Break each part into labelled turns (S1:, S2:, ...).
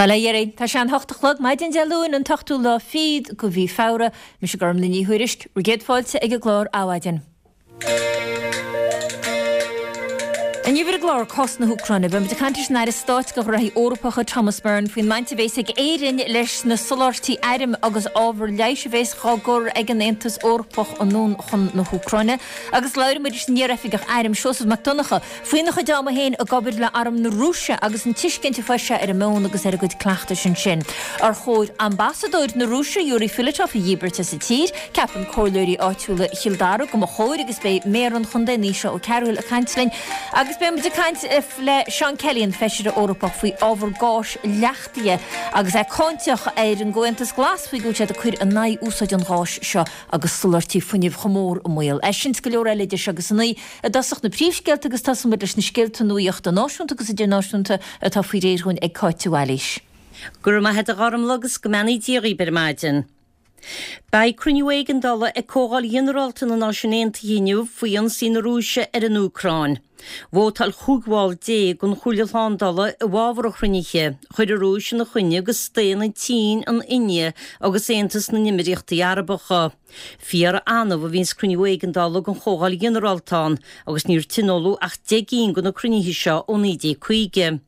S1: Bail ó Dhia oraibh. Tá sé an hocht a chlog, maidin Dé Luain, an t-ochtú lá fichead de mhí Feabhra. Mise Gormlaith Ní Thuairisg, bhur gcéad fáilte ag an gclár Adhmhaidin. Inniu ar an gclár, cás na hÚcráine, beidh muid ag caint leis an Aire Stáit do Ghnóthaí Eorpacha, Thomas Byrne, faoin mbaint a bhéas ag Éirinn leis na soláthairtí airm agus ábhar leighis a bhéas dhá gcur ag an Aontas Eorpach anonn chun na hÚcráine. Agus labhróidh muid leis an iar-oifigeach airm, Seosamh Mac Donncha, Faoina chuid ama féin ag obair le Arm na Rúise agus an tuiscint a fuair sé ar an meon agus ar a gcuid cleachtais ansin. Ar chóir ambasadóir na Rúise, Yuri Filatov, a dhíbirt as an tír? Ceapann comhairleoirí áitiúla Chill Dara go mba chóir agus beidh Méara an Chontae, Naoise Ó Cearbhaill, ag caint linn. Agus beidh muid ag caint le Seán Kelly, an Feisire Eorpach, faoi ábhar gáis leachtaithe agus é cáinteach ar an gComhaontas Glas faoi go bhfuil siad ag cur in aghaidh úsáid an gháis seo agus soláthairtí fuinnimh chomh mór i mbaol. É sin is go leor eile idir seo agus a naoi. I dtosach na príomhscéalta agus tosóidh muid leis na scéalta nuaíochta náisiúnta agus idirnáisiúnta atá faoi réir dhúinn ag Cáit de Bhailís.
S2: Go raibh maith a't a Ghormlaith agus go mbeannaí Dia dhaoib ar maidin. Beidh cruinniú éigeandála ag Comhdháil Ghinearálta na Náisiún Aontaithe inniu faoi ionsaí na Rúise ar an Úcráin. Vótáil 15 bhall den Chomhairle Shlándála i bhfabhar an chruinnithe. Chuir an Rúis ina choinne agus staon an tSín, an India agus Aontas na nÉimíríochtaí Arabacha. Fíor-annamh a bhíonns cruinniú éigeandála den Chomhdháil Ghinearálta ann agus níor tionóladh ach 10 gcinn de na cruinnithe seo ó 1950.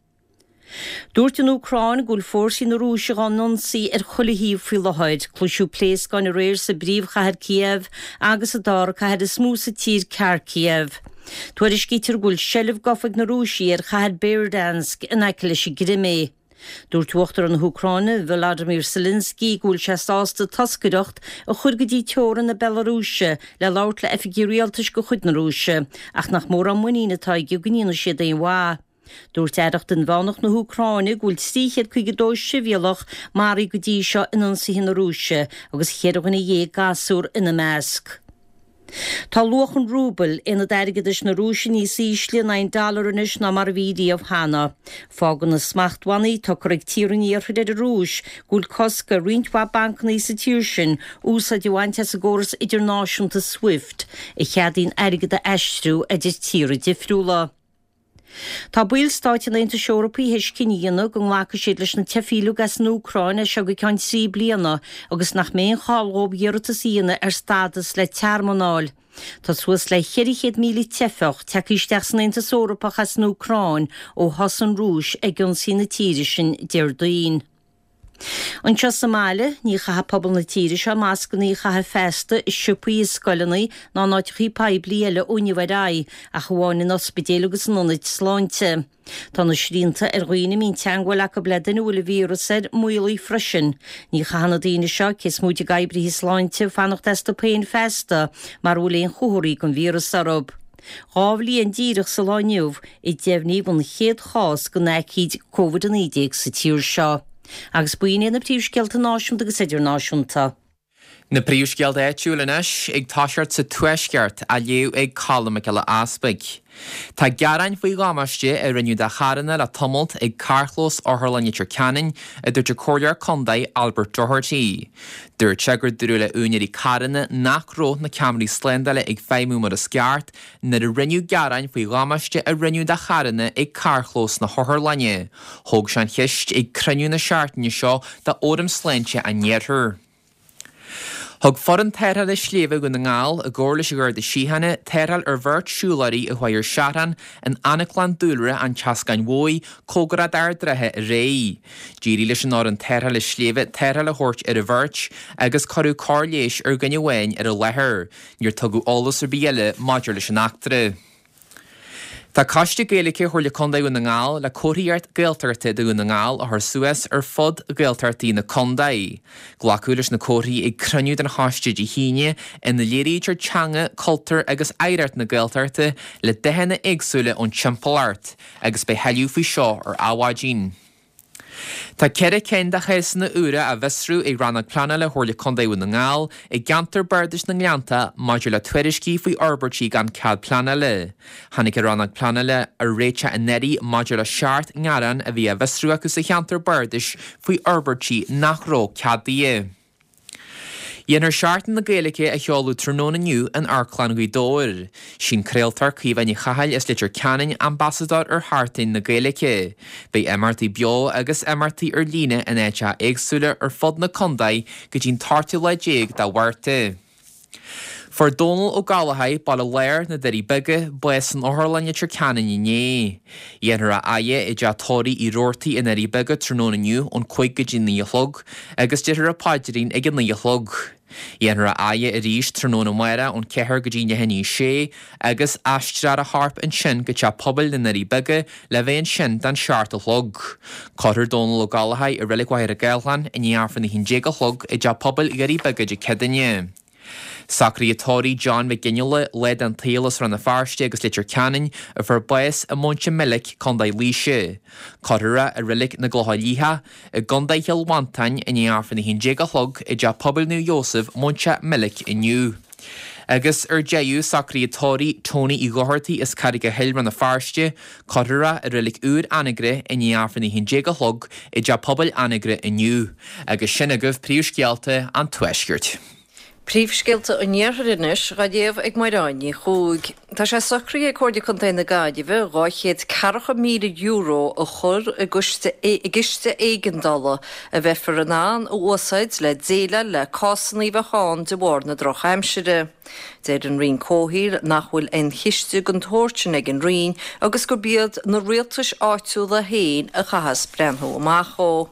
S2: Dúirt an Úcráin go bhfuil fórsaí na Rúise dhá n-ionsaí ar chuile thaobh faoi láthair. Cloiseadh pléascáin aréir sa bpríomhchathair Kiev agus sa dara cathair is mó sa tír Kharkiv. Tuairiscítear go bhfuil seilbh gafa ag na Rúisigh ar chathair Berdyansk in aice leis an gCrimé. Dúirt Uachtarán na hÚcráine Volodymyr Zelensky go bhfuil sé sásta toscaireacht a chur go dtí teorainn na Bealarúise le labhairt le oifigigh rialtais de chuid na Rúise ach nach mórán muinín atá aige go ndéanfaidh siad aon mhaith. Dúirt Aireacht Inmheánach na hÚcráine go bhfuil 352 sibhialach maraithe go dtí seo in ionsaithe na Rúise agus cheithre dhuine dhéag gasúr ina measc. Tá luach an rúbail, aonad airgeadais na Rúise, níos ísle in aghaidh an dollar anois ná mar a bhí riamh cheana. Fágann na smachtbhannaí atá curtha ag tíortha an Iarthair ar an Rúis go bhfuil cosc ar roinnt mhaith bancanna sa tír sin úsáid a bhaint as an gcóras idirnáisiúnta Swift, a cheadaíonn airgead a aistriú idir tíortha difriúla. Tá baill stáit an Aontais Eorpaigh théis cinneadh a dhéanamh go nglacfaidh siad leis na teifigh uilig as an Úcráin as seo go ceann 3 bliana agus nach mbeidh aon chall dhóibh iarratas a dhéanamh ar stádas le tearmann a fháil. Tá suas le 400,000 teifeach tagtha isteach san Aontas Eorpach as an Úcráin ó thosaigh an Rúis ag ionsaí na tíre sin Déardaoin. Anseo sa mbaile, ní chaithfidh pobal na tíre seo mascanna a chaitheamh feasta i siopaí, i scoileanna ná in áiteachaí poiblí eile ó inniu ar aghaidh, ach amháin in ospidéil agus in ionaid sláinte. Tá na srianta ar dhaoine a mbíonn teagmháil acu le duine a bhfuil an víreas air, maolaithe freisin. Ní chaithfidh na daoine seo, cé is móite d'oibrithe sláinte, fanacht astu féin feasta mara bhfuil aon chomharthaí den víreas orthu. 2 bhliain díreach sa lá inniu a deimhníodh an chéad chás den aicíd Covid-19 sa tír seo. Agus b'in iad na príomhscéalta náisiúnta agus idirnáisiúnta.
S3: Na príomhscéalta áitiúil anois, ag toiseacht sa Tuaisceart, á léamh ag Colm Mac Giolla Easpaig. Tá gearáin faoi dhamáiste a rinneadh do charranna le tamalt ag carrchlós Otharlann Leitir Ceanainn, a dúirt an Comhairleoir Contae Albert Doherty. Dúirt sé gur dúradh le úinéirí carranna nach raibh na ceamaraí slándála ag feidhmiú mar is ceart nuair a rinneadh gearáin faoi dhamáiste a rinneadh do charranna ag carrchlós na hotharlainne. Thóg sé an cheist ag cruinniú na seachtaine seo de Fhóram Sláinte an Iarthair. Thug Foireann Tarrthála Sléibhe Dhún na nGall, i gcomhar leis an Gharda Síochána, tarrtháil ar bheirt siúlóirí a chuaigh ar seachrán in Anaclann Dúlra an tSeascáin Mhóir, cóngarach d'Ard Rátha aréir. D'éirigh leis an fhoireann tarrthála sléibhe tarrtháil a thabhairt ar an bheirt agus cuireadh cóir leighis ar dhuine amháin ar an láthair. Níor tugadh eolas ar bith eile maidir leis an eachtra. Tá Coiste Gaeilge Chomhairle Contae Dhún na nGall le comharthaíocht Gaeltachta do Dhún na nGall a chur suas ar fud Ghaeltachtaí na contae. Glacadh leis na comharthaí ag cruinniú den choiste Dé hAoine ina léirítear teanga, cultúr agus oidhreacht na Gaeltachta le dathanna éagsúla ón timpeallacht agus beidh tuilleadh faoi seo ar Adhmhaidin. Tá 4 cinn de chásanna úra á bhfiosrú ag Rannóg Pleanála Chomhairle Contae Dhún na nGall i gceantar Bardais na nGleannta maidir le tuairiscí faoi fhorbairtí gan cead pleanála. Tháinig an Rannóg Pleanála ar réiteach anuraidh maidir le 7 ngearán a bhí á bhfiosrú acu sa cheantar bardais faoi fhorbairtí nach raibh ceadaithe. Dhéanfar Seachtain na Gaeilge a sheoladh tráthnóna inniu in Amharclann Ghaoth Dobhair. Sí'n craoltóir Caoimhe Ní Chathail as Leitir Ceanainn ambasadóir ar Sheachtain na Gaeilge. Beidh imeachtaí beo agus imeachtaí ar líne in áiteacha éagsúla ar fud na contae go dtí'n t-ochtú lá déag de Mhárta. Fuair Dónal Ó Gallachóir, Baile Láir, Na Doirí Beaga, bás san Otharlann Leitir Ceanainn inné. Dhéanfar a fhaire i dteach tórraimh Uí Rabhartaigh i nDoirí Beaga tráthnóna inniu ón 5 go dtí 9 a chlog agus déarfar an paidrín ag a 9 a chlog. Dhéanfar a fhaire arís tráthnóna amárach ón 4 go dtí leath i ndiaidh 6 agus aistreofar a chorp ansin go Teach Pobail na nDoirí Beaga le bheith ansin don 7 a chlog. Cuirfear Dónal Ó Gallachóir i Reilig Mhachaire Gathlán i ndiaidh Aifreann 11 a chlog i dTeach Pobail Dhoirí Beaga Dé Céadaoine. Socruithe tórraimh John Mhic Fhionnghaile, lá den tsaol as Rann na Feirste agus Leitir Ceanainn, a fuair bás i Móinteach Meilc, Co. Laoise. Cuirfear é i Reilig na gClocha Liatha, i gContae Chill Mhantáin i ndiaidh Aifreann 11 a chlog i dTeach Pobail Naomh Iósaf, Móinteach Meilc inniu. Agus ar deireadh, socruithe tórraimh Tony Uí Dhochartaigh as Carraig an Choill, Rann na Feirste, cuirfear é i Reilig Úr Anagaire i ndiaidh Aifreann 11 a chlog i dTeach Pobail Anagaire inniu. Agus sin agaibh príomhscéalta an Tuaiscirt.
S4: Príomhscéalta an Iarthair anois dhá léamh ag Máireáin Ní Chuaig. Tá sé socraithe ag Comhairle Contae na Gaillimhe €240,000 a chur i gciste éigeandála a bheifear in ann a úsáid le déileáil le cásanna a bheadh ann de bharr na drochaimsire. Deir an Roinn Comhshaoil nach bhfuil aon chiste den tsórt sin ag an Roinn agus gurb iad na rialtais áitiúla féin a chaithfeas breathnú amach dhó.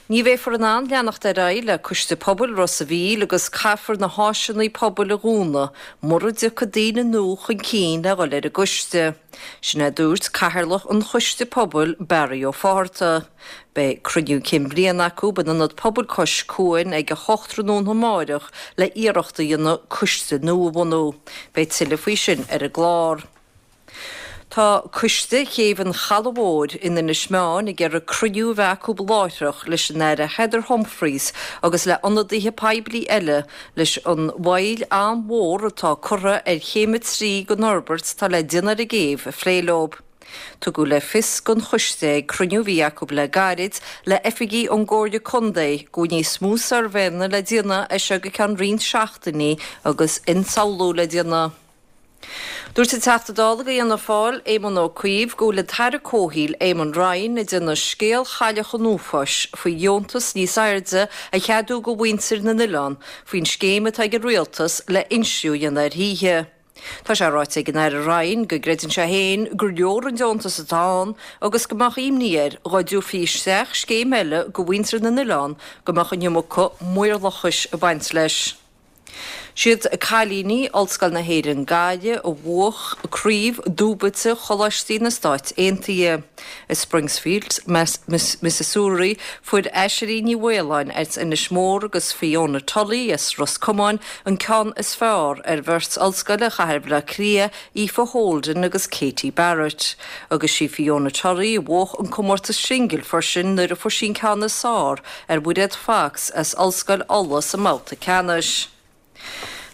S4: Ní bheifear in ann leanacht ar aghaidh le Coiste Pobail Ros a' Mhíl agus caithfear na háiseanna pobail a dhúnadh mura dtiocfaidh daoine nua chun cinn le dhul ar an gcoiste. Sin é a dúirt Cathaoirleach an Choiste Pobail, Barry Ó Fátharta. Beidh cruinniú cinn bliana acu in Ionad Pobail Cois Cuain ag a 8 tráthnóna amáireach le iarracht a dhéanamh coiste nua a bhunú. Beidh tuilleadh faoi sin ar an gclár. Tá Coiste Chéibh an Chalaidh Mhóir in Inis Meáin ag iarraidh cruinniú a bheith acu láithreach leis an Aire Heather Humphreys agus le ionadaithe poiblí eile leis an mhoill an-mhór atá curtha ar chéim 3 den fhorbairt atá le déanamh ar an gcéibh a phlé leo. Tugadh le fios don choiste ag cruinniú a bhí acu le gairid le oifigigh ón gComhairle Contae go bhfuil níos mó suirbhéanna le déanamh as seo go ceann roinnt seachtainí agus ionsamhlú le déanamh. Dúirt an Teachta Dála do Fhianna Fáil, Éamon Ó Cuív, go bhfuil an tAire Comhshaoil, Eamon Ryan, ag déanamh scéal Chailleach an Uafáis faoi dheontas níos airde a cheadú do mhuintir na n-oileán faoin scéim atá ag an Rialtas le insliú a dhéanamh ar thithe. Tá sé ráite ag an Aire Ryan go gcreideann sé féin gur leor an deontas atá ann agus go mbeadh imní air dhá dtabharfaí isteach scéim eile do mhuintir na n-oileán go mbeadh an iomarca maorlathais ag baint leis. Siad cailíní Ollscoil na hÉireann Gaillimh a bhuach Craobh Dúbailte Choláistí na Stáit Aontaithe. I Springsfield, Missouri, fuair Aiséirí Ní Mhaoláin as Inis Mór agus Fiona Tully as Ros Comáin an ceann is fearr ar bheirt ollscoile Chathair Bhaile Átha Cliath, Aoife Holden agus Katie Barrett. Agus sí Fiona Tully a bhuach an comórtas singil freisin nuair a fuair sí an ceann is fearr ar Mhuiréad Fox as Ollscoil Uladh sa mbabhta ceannais.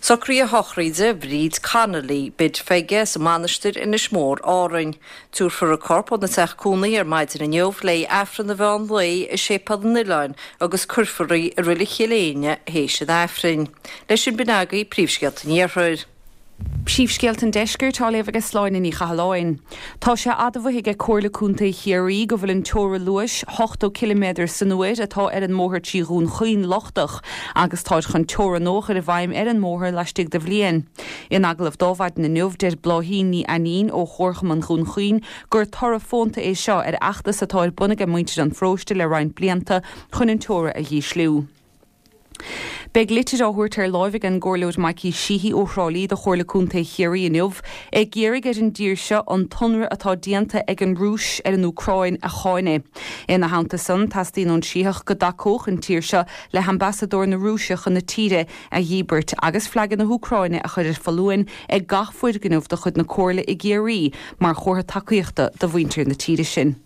S4: Socruithe sochraide Bhríd Connolly, Bid Pheige as an Mainistir, Inis Mór, Árainn. Tabharfar a corp óna teach cónaithe ar maidin inniu le haghaidh Aifreann an mheán lae i Séipéal an Oileáin agus cuirfear í i Reilig Chill Éinne théis an Aifrinn. Leis sin b'in agaibh príomhscéalta an Iarthair.
S5: Príomhscéalta an Deiscirt á léamh ag Sláine Ní Chathalláin. Tá sé admhaithe ag Comhairle Contae Chiarraí go bhfuil an teora luais, 80 ciliméadar san uair, atá ar an mbóthar trí Dhún Chaoin lochtach agus táid chun teora nua a chur i bhfeidhm ar an mbóthar laistigh de bhliain. In agallamh do Adhmhaidin inniu, deir Bláithín Ní Ainnín ó Chomharchumann Dhún Chaoin gur toradh fónta é seo ar fheachtas atá ar bun ag muintir an pharóiste le roinnt blianta chun an teora a dhísliú. Beidh litir á thabhairt ar láimh ag an gComhairleoir Mikey Sheehy ó Thrá Lí do Chomhairle Contae Chiarraí inniu ag iarraidh ar an dtír seo an t-ionradh atá déanta ag an Rúis ar an Úcráin a cháineadh. Ina theannta san, teastaíonn ón Sítheach go dtacódh an tír seo le hambasadóir na Rúise chun na tíre a dhíbirt agus flaga na hÚcráine a chur ar foluain ag gach foirgneamh de chuid na Comhairle i gCiarraí mar chomhartha tacaíochta do mhuintir na tíre sin.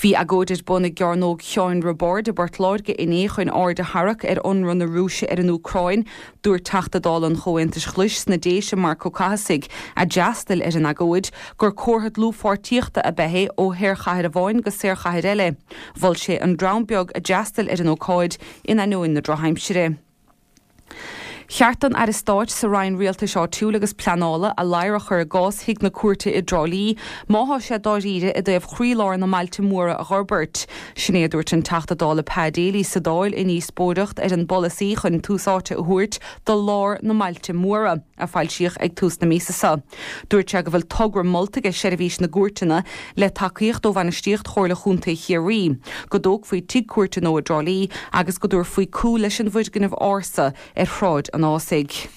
S5: Bhí agóid ar bun i gCearnóg Sheáin Roibeáird i bPort Láirge inné chun aird a tharrac ar ionradh na Rúise ar an Úcráin. Dúirt Teachta Dála an Chomhaontais Ghlais sna Déise, Marc Ó Cathasaigh, a d'fhreastail ar an agóid, gur comhartha dlúthpháirtíochta ab ea é ó shaorchathair amháin go saorchathair eile. Mhol sé an dream beag a d'fhreastail ar an ócáid in ainneoin na drochaimsire. Cheart don Aire Stáit sa Roinn Rialtais Áitiúil agus Pleanála a ladhar a chur i gcás Thigh na Cúirte i dTrá Lí má thá sé dáiríre i dtaobh chroílár na mbailte móra a dh'fhorbairt. Sin é a dúirt an Teachta Dála Pa Daly sa Dáil i ndíospóireacht ar an bpolasaí chun tús áite a thabhairt do lár na mbailte móra, a foilsíodh ag tús na míosa seo. Dúirt sé go bhfuil togra molta aige Seirbhís na gCúirteanna, le tacaíocht ó bhainistíocht Chomhairle Chontae Chiarraí, go dtógfaí tigh cúirte nua i dTrá Lí agus go dtabharfaí cúl leis an bhfoirgneamh ársa ar Shráid an Ásaigh.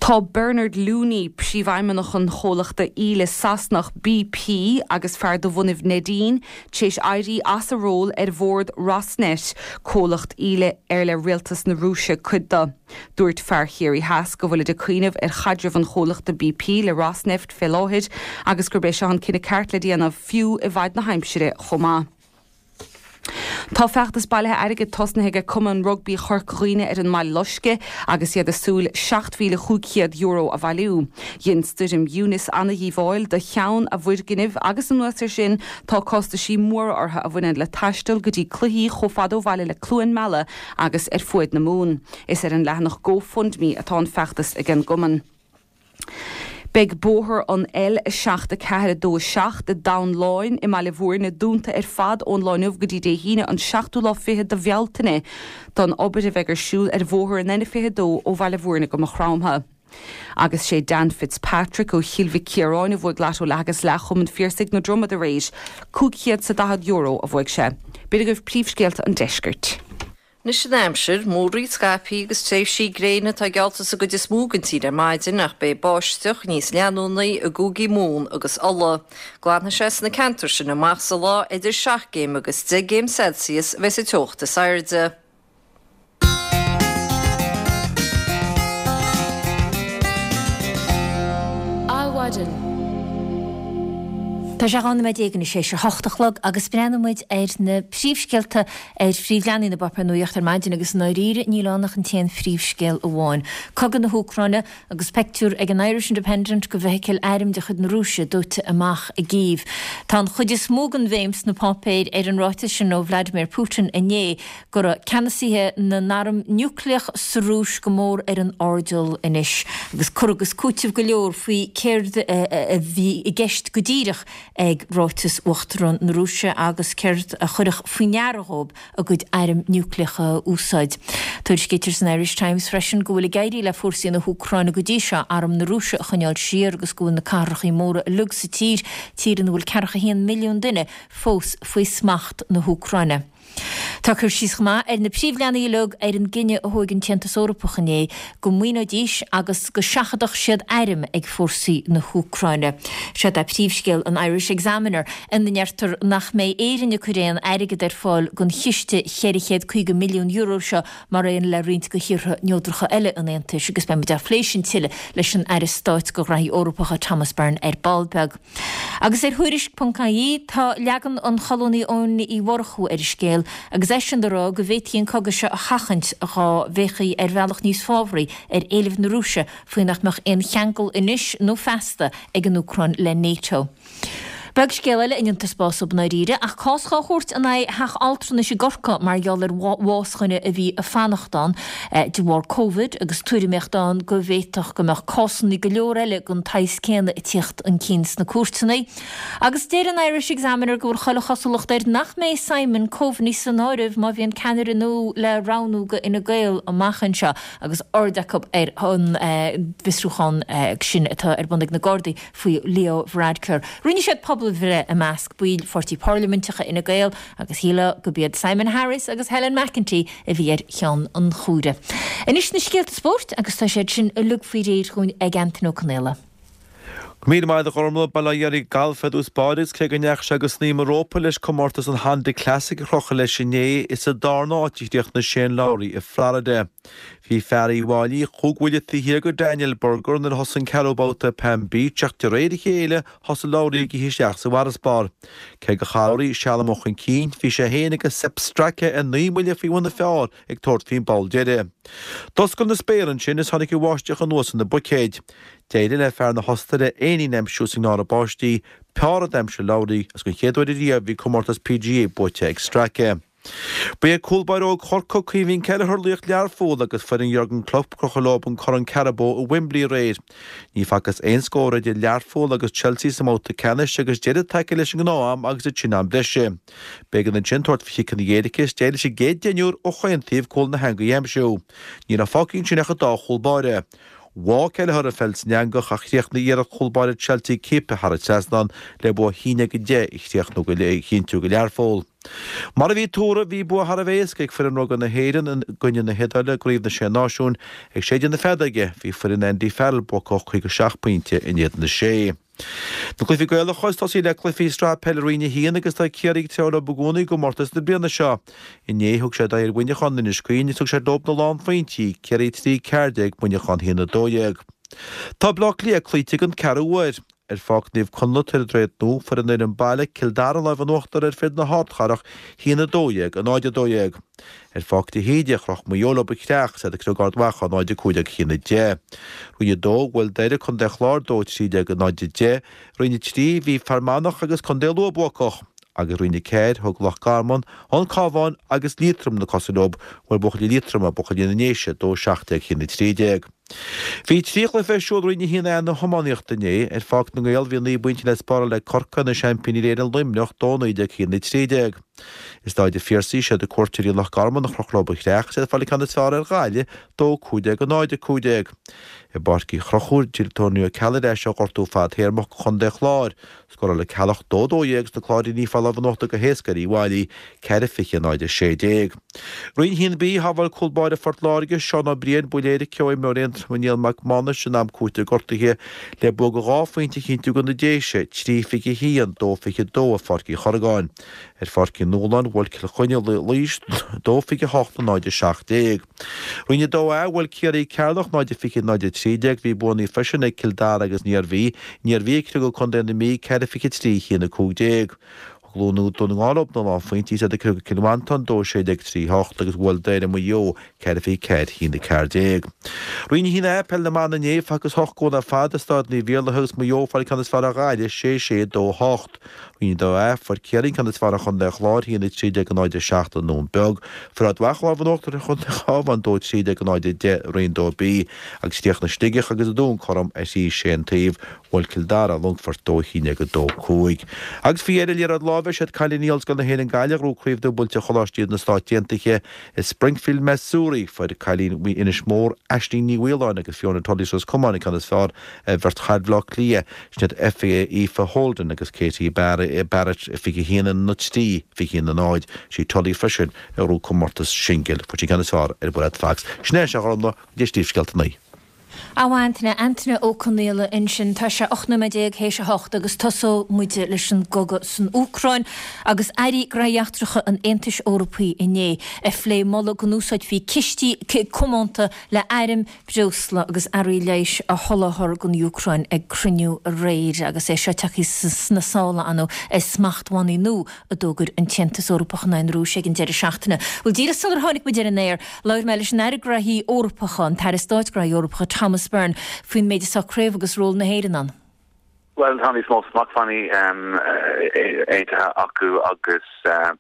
S5: Tá Bernard Looney, príomhfheidhmeannach an chomhlachta íle Sasanach BP agus fear de bhunaibh Neidín, tar éis éirí as a ról ar bhord Rosneft, comhlacht íle ar le rialtas na Rúise cuid de. Dúirt fear Chiarraí Theas go bhfuilid ag cuimhneamh ar chaidreamh an chomhlachta BP le Rosneft fé láthair agus gurb é seo an cinneadh ceart le déanamh, fiú i bhfaid na haimsire chomh maith. Tá feachtas bailithe airgid tosnaithe ag Cumann Rugbaí Chorca Dhuibhne ar an mBaile Loiscthe agus iad ag súil €7,500 a bhailiú. Dhein stoirm Eunice ana-dhíobháil do cheann a bhfoirgnimh agus anuas air sin tá costaisí móra orthu a bhaineann le taisteal go dtí cluichí chomh fada ó bhaile le Cluain Meala agus ar fuaid na Mumhan. Is ar an leathanach GoFundMe atá an feachtas ag an gcumann. Beidh bóthar an L7 4 2 7 i dTamhan Láin i mBaile Bhúirne dúnta ar fad ón lá inniu go dtí Dé hAoine an seachtú lá fichead de Bhealtaine don obair a bheidh ar siúl ar bhóthar an N22 ó Bhaile Bhúirne go Maigh Chromtha. Agus sé Dan Fitzpatrick ó Chill Mhic Ciaráin a bhuaigh Lotto Leath agus Leath Chumann Phiarsaigh na Dromad aréir. €540 a bhuaigh sé. B'in agaibh príomhscéalta an deiscirt.
S4: Anois an aimsir, múraíl scaipthe agus tréimhsí gréine atá geallta sa gcuid is mó den tír ar maidin ach beidh báisteach níos leanúnaí i gcúigí Mumhan agus Uladh. Glanfaidh sé sna ceantair sin amach sa lá idir 7 gcéim agus 10 gcéim Celsius a bheidh sa teocht is airde.
S1: Adhmhaidin. Tá sé 12 nóiméad anois théis a hocht a chlog agus breathnóidh muid ar na príomhscéalta ar phríomhleathanaigh na bpáipéar nuachta ar maidin agus i ndáiríre níl ann ach an t-aon phríomhscéal amháin, cogadh na hÚcráine agus peictiúr ag an Irish Independent de bhfeithicil airm de chuid na Rúise dóite amach i gCív. Tá an chuid is mó den bhéim sna páipéir ar an ráiteas sin ó Vladimir Putin inné go raibh ceannasaithe na n-arm núicléach sa Rúis go mór ar an airdeall anois agus cur agus cúiteamh go leor faoi céard a bhí i gceist go díreach ag ráiteas Uachtarán na Rúise agus céard a chuirfeadh faoi ndeara dhóibh a gcuid airm núicléacha a úsáid. Tuairiscítear san Irish Times freisin go bhfuil ag éirí le fórsaí na hÚcráine go dtí seo arm na Rúise a choinneáil siar agus go bhfuil na cathrachaí móra uilig sa tír, tír ina bhfuil ceathracha haon milliún duine, fós faoi smacht na hÚcráine. Tá cur síos chomh maith ar na príomhleathanaigh uilig ar an gcinneadh a thóig an tAontas Eorpach inné go maoineoidís agus go seachadfadh siad airm ag fórsaí na hÚcráine. Seod é príomhscéal an Irish Examiner ina ndeirtear nach mbeidh Éirinn ag cur aon airgead ar fáil don chiste €450 milliún seo mar aon le roinnt de thíortha neodracha eile an Aontais agus beidh muid á phlé sin tuilleadh leis an Aire Stáit do Ghraithí Eorpacha Thomas Byrne ar ball beag. Agus ar Thuairisc ponc ie tá leagan an cholúnaí Eoin Uí Mhurchú ar an scéal agus eisean ag rá go bhféadfaí an cogadh seo a sheachaint dhá bhféachfaí ar bhealach níos fábhraí ar éilimh na Rúise faoi nach mbeadh aon cheangal anois nó feasta ag an Úcráin le NATO. Beag scéal eile a ndéantar spás dóibh i ndáiríre ach cás dhá thabhairt in aghaidh theach altranais i gCorcaigh mar gheall ar bhás dhuine a bhí ag fanacht ann de bharr Covid agus tuairimíocht ann go bhféadfadh go mbeadh cásanna go leor eile den tsaghas céanna ag tíocht chun cinn sna cúirteanna. Agus deir an Irish Examiner go bhfuil chuile chosúlacht air nach mbeidh Simon Coveney san áireamh má bhíonn ceannaire nua le roghnú go Fhine Gael amach anseo agus aird acu ar an bhfiosrúchán sin atá ar bun ag na Gardaí faoi Leo Varadkar. Rinne siad pobalbhreith i measc baill pháirtí parlaiminteacha Fhine Gael agus shílfeá gurb iad Simon Harris agus Helen McEntee a bhí ar cheann an chomhairimh. Anois na scéalta spóirt agus tá siad sin uilig faoi réir dhúinn ag Antain Ó Conaola.
S6: Go míle maith agat a Ghormlaith, Bail ó Dhia ar galf ar dtús báire agus cé go ndeachaigh sé go snaidhm an rópa leis comórtas an Honda Classic a chrochadh leis inné, is sa darna háit a chríochnaigh Shane Lowry i Florida. Bhí fear Uíbh Fhailí chúig bhuille taobh thiar de Daniel Berger nuair a thosaigh an ceathrú babhta i Palm Beach ach de réir a chéile thosaigh Lowry ag ithe isteach sa bhfarasbarr. Cé gur chaill Lowry seal amuigh chun cinn, bhí sé féin agus Sepp Straka ar naoi mbuille faoi bhun an phar ag tabhairt faoin bpoll deiridh. D'oscail na spéartha ansin is tháinig an bháisteach anuas ina buicéid. D'éirigh le fear na hOstaire éinín a aimsiú sa ngearradh báistí, pár a d'aimsigh Lowry agus den chéad uair ariamh bhí comórtas PGA buaite ag Straka. Ba é cúl báire óg Chorcaí, Caoimhín Kelleher, laoch Learpholl agus foireann Jurgen Klopp ag crochadh leo an Corn Carabao i Wembley aréir. Ní facthas aon scór idir Learpholl agus Chelsea sa mbabhta ceannais agus deireadh tagtha leis an ngnáth-am agus ansin am breise. B'éigean ansin tabhairt faoi chiceanna éirice is d'éirigh leis an gcéad deichniúr ó chaon taobh cúl na heangaí a aimsiú. Ní raibh fágtha ansin ach an dá chúl báire. Bháigh Kelleher an pheil san eangach ach chríochnaigh iarracht chúl báire Chelsea ciaptha thar an trasnán le bua 1-10 a chríochnú go a chinntiú do Learpholl. Mar a bhí tuartha, bhí bua thar a bheith éasca ag foireann rugbaí na hÉireann i gcoinne na hIodáile i gCraobh na Sé Náisiún. Ag séideadh na feadóige, bhí foireann Andy Farrell buacach 57 pointe in éadan 6. Na cluichí Gaelacha is tosaí le cluichí Sraith Peile Roinn 1 agus tá Ciarraí ag treabhadh leo i gcónaí i gcomórtas na bliana seo. Inné thug siad aghaidh ar Mhuineachán in Inis Caoin agus thug siad leo na lánphointí, Ciarraí 3, 14, Muineachán 1, 12. Tá Bleá Cliath cloíte den ceathrú huair. Ar Pháirc Naomh Conlath, Tar an Droichead Nua, fuair an fhoireann baile, Cill Dara lámh in uachtar ar fir na hardchathrach, 1, 12, 0, 12. Ar Pháirc de hÍde, chroch Maigh Eo leo an Chreach, is iad ag cniogadh Ard Mhacha, 0, 15, 1, 10. Roinn 2, bhuail Doire, Contae an Chláir, 2, 13, 0, 10. Roinn 3, bhí Fear Manach agus Contae Lú buacach. Agus Roinn 4, thug Loch Garman, An Cabhán agus Liatroim na cosa leo, bhuail buachaillí Liatroma, buachaillí na nDéise, 2, 17, 1, 13. Bhí 3 chluiche ar siúl i Roinn 1A na hiománaíochta inné. Ar Pháirc na nGael bhí 9 bpointe le spáráil ag Corcaigh ar na seaimpíní Éireann Luimneach 2 19 1 13. I Stáid an Phiarsaigh siad cuairteoirí Loch Garman a chroch leo an Chreach is iad ag fáil an ceann is fearr ar Ghaillimh 2 15 0 15. I bPáirc Uí Chonchúir d'fhill Tony Ó Ceallaigh ar ais ó ghortú fadtéarmach do chontae an Chláir. Scóráil An Ceallach 2 12 agus na Cláirínigh ag fáil lámh in uachtar go héasca ar Uíbh Fhailí, 4 20 0 16. Roinn 1B, Shábháil cúl báire Phort Láirge, Seán Ó Briain, buille éirice ó imreoir Aontroma Niall Mac Mánais in am cúitimh gortaithe le bua de dhá phointe a chinntiú do na Déise, 3 21 2 22 i Pháirc Uí Chorragáin. Ar Pháirc Uí Nualláin, bhuail Cill Chainnigh Laois 2 28 0 17. Roinn 2A, Bhuail Ciarraí Ceatharlach 0 20 0 13. Bhí buanna freisin ag Cill Dara agus an Iarmhí. An Iarmhí ag cniogadh Contae na Mí 4 23 1 15. Thug Lú nó Dún na nGall leo na lánphointí is iad ag cniogadh Cill Mhantáin 2 16 3 8 agus bhuail Doire Maigh Eo 4 24 1 14. Roinn 1A, Peil na mBan inné, facthas 8 gcúl ar fad i Staid Naomh Iarlaithe agus Maigh Eo ag fáil an ceann is fearr ar Ghaillimh 6 6 2 8. Roinn 2A, Fuair Ciarraí an ceann is fearr ar Chontae an Chláir, 1, 13, 0, 7 i nDún Beag. Fuair Ard Mhacha lámh in uachtar ar Chontae an Chabháin, 2, 13, 0, 10 i Roinn 2B agus chríochnaigh Sligeach agus an Dún cothrom ar thrí sé an taobh. Bhuail Cill Dara Longfort 2, 11, 2, 5. Agus faoi dheireadh, liathróid láimhe, siad cailíní Ollscoil na hÉireann Gaillimh a ghnóthaigh Craobh Dúbailte Choláistí na Stát Aontaithe i Springfield, Missouri. Fuair cailín Inis Mór, Aisling Ní Mhaoláin agus Fiona Tully as Ros Comáin an ceann is fearr ar bheirt chaid Bhaile Átha Cliath, sin iad Aoife Holden agus Katie Barrett, 21 3, 21 0. Sí Tully freisin a ghnóthaigh comórtas singil. Fuair sí an ceann is fearr ar Mhairéad Fox. Sin é, a Ghormfhlaith, go dtí Scéalta 9.
S1: A Antaine, Antaine Ó Conaola ansin. Tá sé 18 nóiméad théis a hocht agus tosóidh muid leis an gcogadh san Úcráin agus airí gnóthaí eachtracha an Aontais Eorpaigh inné ag phlé moladh go n-úsáidfí cistí comónta le airm, breosla agus earraí leighis a sholáthar don Úcráin ag cruinniú aréir agus é seo tagtha sna sála ar ndóigh ar smachtbhannaí nua a d'fhógair an tAontas Eorpach in aghaidh na Rúise ag an deireadh seachtaine. Bhuel, díreach sular tháinig muid ar an aer, labhair mé leis an Aire Gnóthaí Eorpacha, an tAire Stáit Gnóthaí Eorpacha Thomas Byrne, faoin méid a socraíodh agus ról na hÉireann ann.
S7: Bhuel, tá níos mó smachtbhannaí aontaithe acu agus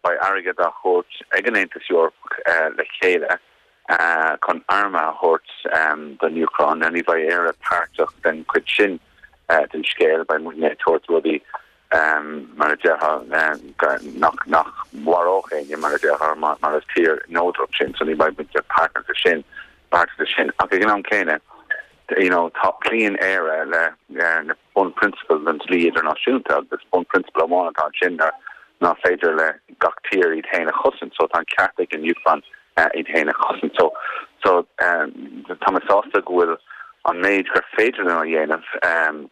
S7: beidh airgead á thabhairt ag an Aontas Eorpach le chéile chun airm a thabhairt don Úcráin. Now ní bheidh Éire páirteach den chuid sin den scéal, beidh muidne ag tabhairt rudaí mar a déarfá nach nach mharódh éinne mar a déarfá mar is tír neodrach sinn so ní bheidh muid páirteach de sin páirteach de sin. Ach ag an am céanna you know tá cloíonn Éire le na bunphrionsabail den dlí idirnáisiúnta agus bunphrionsabal amháin atá ansin ná nach féidir le gach tír iad féin a chosaint so tá an ceart ag an Úcráin iad féin a chosaint. So so tá mé sásta go bhfuil an. an méid gur féidir linn a dhéanamh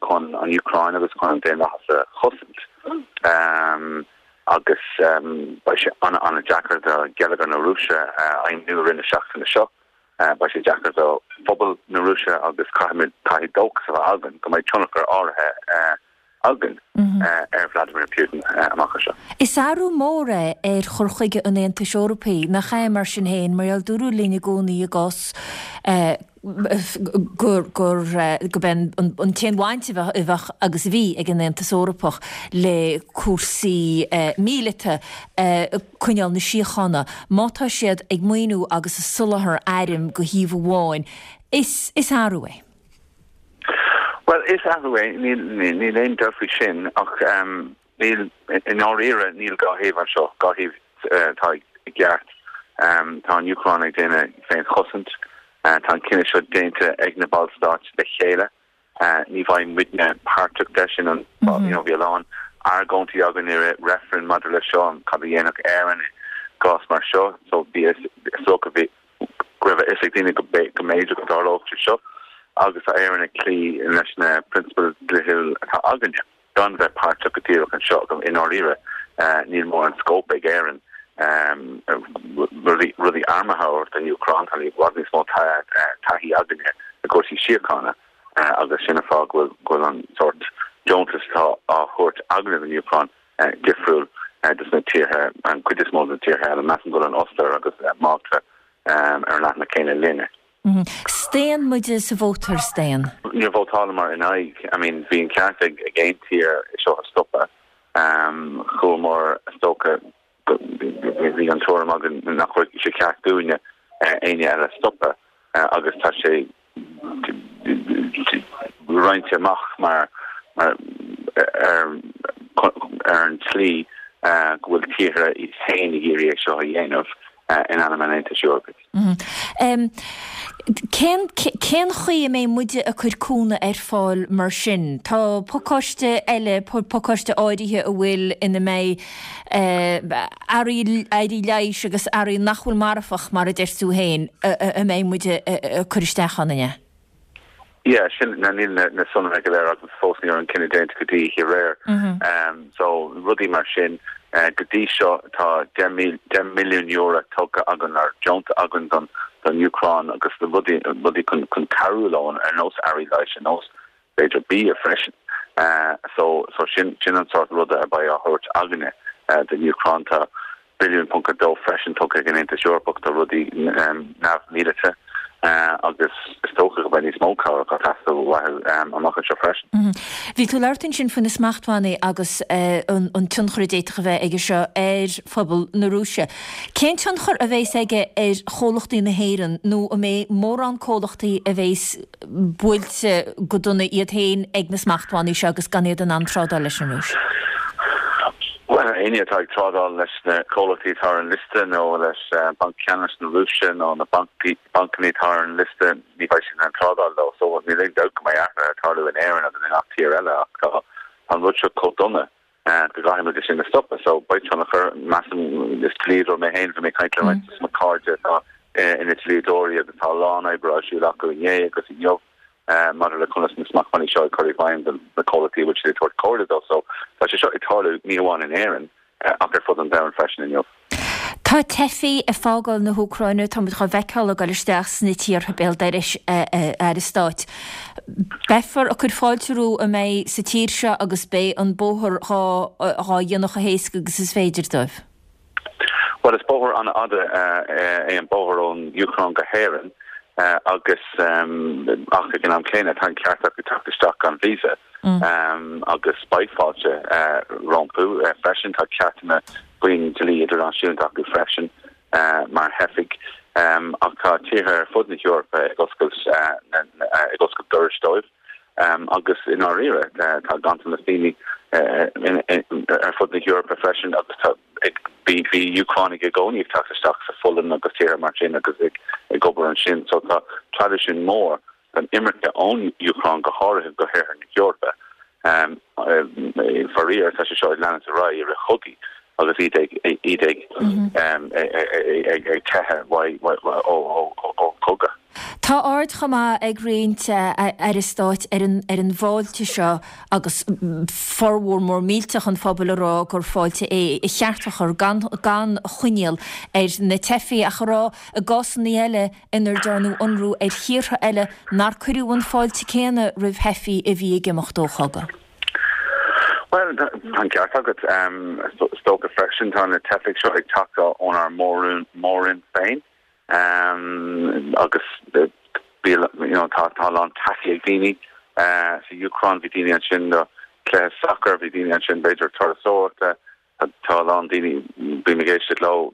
S7: chun an Úcráin agus chun an daonlathas a chosaint. Agus beidh sé an-an-deacair do gheilleagar na Rúise a fheidhmiú i rith na seachtaine seo. Beidh sé deacair do phobal na Rúise agus caithfimid, caithfidh dóchas a bheith againn go mbeidh tionchar áirithe againn ar Vladimir Putin amach anseo.
S1: Is athrú mór é ar chur chuige an Aontais Eorpaigh, nach ea, mar sin féin, mar gheall dúradh linn i gcónaí i gcás gur gurb é an t-aon bhaint a bheadh agus a bhí ag an Aontas Eorpach le cúrsaí míleata, coinneáil na síochána. Má tá siad ag maoiniú agus ag soláthar airm go thaobh amháin, is athrú é.
S7: Bhuel, is athrú é, níl aon dabht faoi sin, ach níl, i ndáiríre, níl dhá thaobh anseo, dhá thaobh atá i gceart. Tá an Úcráin ag déanamh féinchosaint, tá an cinneadh seo déanta ag na ballstáit le chéile, ní bheidh muidne páirteach de sin, you know, bhí a lán argóintí againn i rith reifrinn maidir leis seo, cad a dhéanfadh Éirinn i gcás mar seo, so bhí, is dócha, bhí. go raibh a fhios ag daoine go mb'fhéidir go dtarlódh sé seo agus tá Éirinn ag cloí leis na prionsabail dlíthiúil atá againne gan bheith páirteach go díreach anseo. I ndáiríre, níl mórán scóip ag Éirinn rudaí rudaí armtha a thabhairt don Úcráin. Tá i bhfad níos mó taithí againne i gcúrsaí síochána agus sin an fáth go bhfuil an sórt deontas atá á thabhairt againne don Úcráin difriúil dos na tíortha, an cuid is mó de na tíortha eile. Measaim go bhfuil an Ostair agus Málta ar an leathanach céanna linne.
S1: Staon muide sa vóta ar staon?
S7: Níor vótálamar in aghaidh. I mean, bhí an ceart ag aon tír é seo a stopadh. Chuamar, is dócha, bhí an tuairim againn nach raibh sé ceart dúinne éinne eile a stopadh agus tá sé roinnte amach mar ar an tslí go bhfuil tíortha iad féin ag iarraidh é seo a dhéanamh in ainm an Aontais Eorpaigh.
S1: Cén cén chaoi a mbeidh muide ag cur cúnamh ar fáil mar sin? Tá pacáiste eile, pacáiste áirithe a bhfuil ina mbeidh earraí earraí leighis agus earraí nach bhfuil marfach, mar a deir tú féin, a mbeidh muid ag cur isteach ann, an ea?
S7: Yeah, sin, now níl na sonraí go léir agam fós, ní raibh an cinneadh déanta go dtí aréir. So, rudaí mar sin. Go dtí seo tá €10 milliún tugtha againn, nó deonta againn don Úcráin agus rudaí, rudaí chun cabhrú leo ar nós earraí leighis, ar nós b'fhéidir bia freisin. So, so sin, sin an sórt ruda a bheidh á thabhairt againne don Úcráin. Tá billiún ponc a dó freisin tugtha ag an Aontas Eorpach do rudaí neamh-mhíleata agus is dócha go mbeidh níos mó cabhrach ag teastáil uathu amach anseo freisin.
S1: Bhí tú ag labhairt ansin faoi na smachtbhannaí agus an tionchar a d'fhéadfadh a bheith aige seo ar phobal na Rúise. Cén tionchar a bheas aige ar chomhlachtaí na hÉireann nó an mbeidh mórán comhlachtaí a bheas buailte go dona iad féin ag na smachtbhannaí seo agus gan iad in ann trádáil leis an Rúis.
S7: Bhuel, éinne atá ag trádáil leis na comhlachtaí atá ar an liosta nó leis Banc Ceannais na Rúise nó na bancanna atá ar an liosta, ní bheidh siad in ann trádáil leo. So níl aon dabht go mbeidh athruithe ag tarlú in Éirinn agus i ngach tír eile ach tá an rud seo chomh dona go gcaithfidh muid é sin a stopadh. So beidh tionchar, measaim, is dlíodóir mé féin, bhí mé ag caint le roinnt de mo chairde atá ina dlíodóirí agus tá a lán oibre ar siúl acu inné agus inniu maidir le conas na smachtbhannaí seo ag cur i bhfeidhm do na comhlachtaí a bhfuil siad ag tabhairt comhairle dóibh. So tá sé seo ag tarlú ní hamháin in Éirinn ach ar fud an domhain freisin inniu.
S1: Tá teifigh ag fágáil na hÚcráine, tá muid dhá bhfeiceáil ag dul isteach sna tíortha béal dorais, a Aire Stáit. Beifear ag cur fáilte rompu a mbeidh sa tír seo agus beidh an bóthar dhá dhéanamh chomh héasca agus is féidir dóibh.
S7: Bhuel, is bóthar an-fhada é an bóthar ón Úcráin go hÉirinn agus ach ag an am céanna tá an ceart acu teacht isteach gan visa agus beidh fáilte rompu freisin. Tá ceartanna faoin dlí idirnáisiúnta acu freisin mar theifigh ach tá tíortha ar fud na hEorpa ag oscailt ag oscailt dorais dóibh agus i ndáiríre tá ganntanas daoine ar fud na hEorpa freisin agus tá bhí bhí Úcránaigh i gcónaí ag teacht isteach sa Pholainn agus tíortha mar sin agus ag ag obair ansin so tá traidisiún mór den imirce ón Úcráin go háirithe go hoirthear na hEorpa. Faraor, tá sé seo ag leanúint ar aghaidh i rith chogaí agus iad ag iad ag ag teitheadh ó chogadh.
S1: Tá aird chomh maith ag roinnt Aire Stáit ar an ar an bhfáilte seo agus formhór mór millteach an phobail ag rá gur fáilte é a cheart a chur gan gan choinníoll ar na teifigh ach ag rá i gcásanna eile inar dearnadh ionradh ar thíortha eile nár cuireadh an fáilte céanna roimh theifigh a bhí ag imeacht ó chogadh.
S7: Bhuel, tá an ceart agat. Is dócha freisin tá na teifigh seo ag teacht ónár mór-roinn féin. Agus you know tá tá a lán taithí ag daoine sa Úcráin, bhí daoine ansin do chluiche sacair, bhí daoine ansin b'fhéidir turasóireachta, tá a lán daoine, bím ag éisteacht leo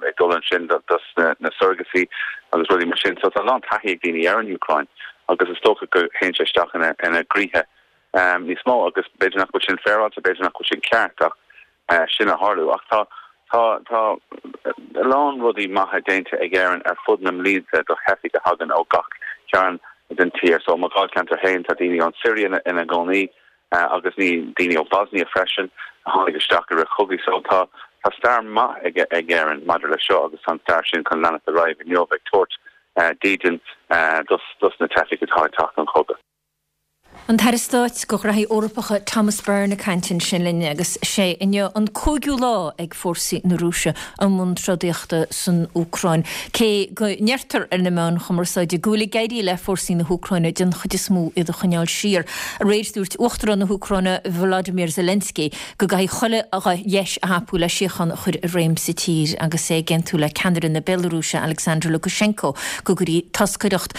S7: ag dul ansin dos na surrogacy agus rudaí mar sin. So tá a lán taithí ag daoine ar an Úcráin agus is dócha go théann sé isteach ina ina gcroíthe níos mó agus b'fhéidir nach bhfuil sin féaráilte, b'fhéidir nach bhfuil sin ceart ach sin a tharlú. Ach tá, tá, tá a lán rudaí maithe déanta ag Éirinn ar fud na mblianta do theifigh a thagann ó gach cearn den tír. So, i mo dháilcheantar féin, tá daoine ón Siria ina gcónaí agus ní, daoine ó Bosnia freisin a tháinig isteach i rith chogaidh. So, tá, tá stair maith ag, ag Éirinn maidir le seo agus tá an stair sin chun leanacht ar aghaidh inniu ag tabhairt dídean dos, dos na teifigh atá ag teacht ón chogadh.
S1: An tAire Stáit do Ghraithí Eorpacha Thomas Byrne ag caint ansin linn agus sé inniu an cúigiú lá ag fórsaí na Rúise i mbun trodaíochta san Úcráin. Cé go ndeirtear ar na meáin chumarsáide go bhfuil ag éirí le fórsaí na hÚcráine den chuid is mó iad a choinneáil siar, aréir dúirt Uachtarán na hÚcráine Volodymyr Zelensky go gcaithfidh chuile dheis a thapú le síocháin a chur i réim sa tír agus é ag aontú le ceannaire na Béalarúise Alexander Lukashenko go gcuirfí toscaireacht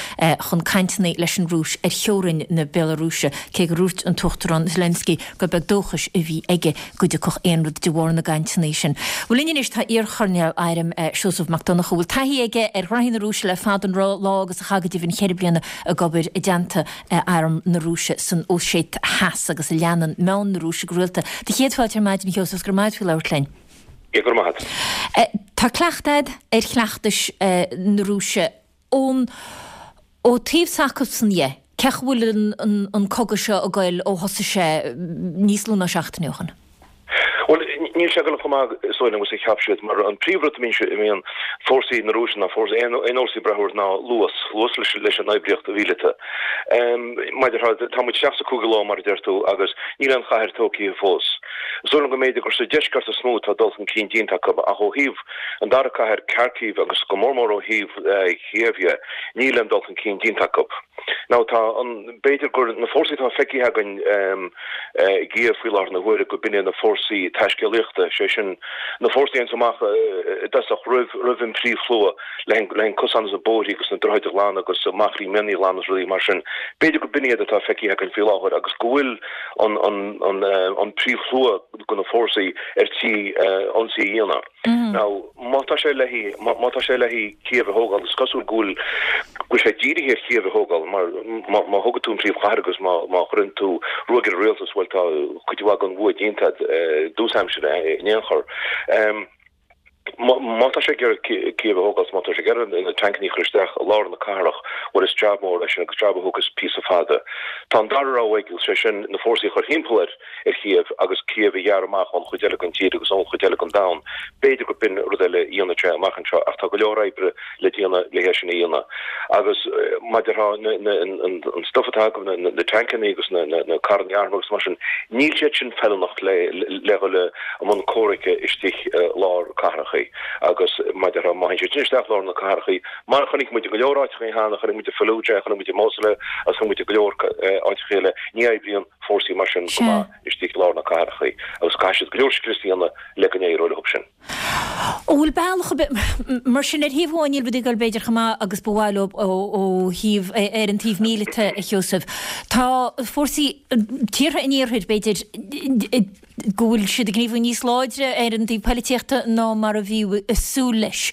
S1: chun cainteanna leis an Rúis ar theorainn na Béalarúise, cé gur dhúirt an tUachtarán Zelensky gur beag dóchais a bhí aige go dtiocfadh aon rud de bharr na gcainteanna sin. Bhuel linn anois tá iar-choirnéal airm Seosamh Mac Donncha, a bhfuil taithí aige ar ghraithí na Rúise le fada an lá agus a chaith go deimhin cheithre bliana ag obair i dteannta arm na Rúise san Óiséit Theas agus a leanann meáin na Rúise go rialta. Do chéad fáilte ar maidin, a Sheosaimh, is go raibh maith agat faoi labhairt linn.
S8: Go raibh maith
S1: agat. Tá cleachtadh agat ar chleachtais na Rúise. Ón ó taobh s'acusan dhe, cén chaoi a bhfuil an cogadh seo ag goil ó thosaigh sé níos lú ná seachtain ó shin?
S8: Bhuel, níl sé ag goil chomh maith is dóigh liom agus a cheap siad, mar an príomhrud a mbíonn fórsaí na Rúise ná fórsaí, aon fhórsaí ag brath orthu ná luas, luas leis an oibríocht mhíleata. Mar a déarfá, tá muid isteach sa cúigiú lá, mar a deir tú, agus níl aon chathair tógtha fós. Is dóigh liom go mb'fhéidir gur sa deisceart is mó atá dul chun cinn déanta acu, ach ó thaobh An dara cathair, Kharkiv, agus go mór mór ó thaobh Chíév dhe, níl aon dul chun cinn déanta acu. Now tá an, b'fhéidir gur na fórsaí atá feicthe againn i gCíév faoi láthair na huaire go b'in iad na fórsaí taiscéalaíochta, sé sin na fórsaí a théanns amach i dtosach roimh, roimh an príomhshlua le an cosán agus na bóithrí agus na droichid a ghlanadh agus machairí mianaigh a ghlanadh agus rudaí mar sin. B'fhéidir go b'in iad atá feicthe againn faoi láthair agus go bhfuil an, an, an, an príomhshlua de na fórsaí ar tí ionsaí a dhéanamh. Now, má tá sé le má tá sé le Cíév a thógáil, is cosúil go bhfuil go bhfuil sé dírithe ar Chíév a thógáil, mar má má thógann tú an príomhchathair agus má má chuireann tú ruaig ar an rialtas, bhuel tá cuid mhaith den bhua déanta agat i dtús aimsire in aon chor. Má tá sé ag iarraidh Cíév a thógáil, má tá sé ag iarraidh na tancannaí a chur isteach i lár na cathrach, bhuel is jab mór é sin agus jab a thógfas píosa fada. Tá an dara rogha aige, sé sin na fórsaí a chur thimpeall air, ar Chíév agus Cíév a ghearradh amach ón chuid eile den tír agus ón chuid eile den domhan. B'fhéidir gur b'in rud eile a dhéanfaidh sé amach anseo ach tá go leor oibre le déanamh le hé sin a dhéanamh. Agus mar a déarfá an stuif atá acu, na tancannaí agus na carrannaí armtha agus mar sin, níl siad sin feiliúnach le dhul i mbun comhraic istigh i lár cathrachaí. Agus mar a déarfá, má théann siad sin isteach i lár na cathrachaí, mar a chonaic muid i go leor áiteachaí cheana, chonaic muid i Fallujah, chonaic muid i Mosul agus chonaic muid i go leor áiteachaí eile, ní oibríonn fórsaí mar sin go maith istigh i lár na cathrachaí agus caithfidh siad go leor scrios a dhéanamh le go n-éireoidh leo sin.
S1: An bhfuil bealach ar bith, mar sin, ar thaobh amháin níl rudaí ag dul b'fhéidir chomh maith agus ba mhaith leo ó thaobh, ar an taobh míleata, a Sheosaimh. Tá fórsaí tíortha an iarthair, b'fhéidir, go bhfuil siad ag gníomhú níos láidre ar an taobh poilitíochta ná mar a bhí ag súil leis.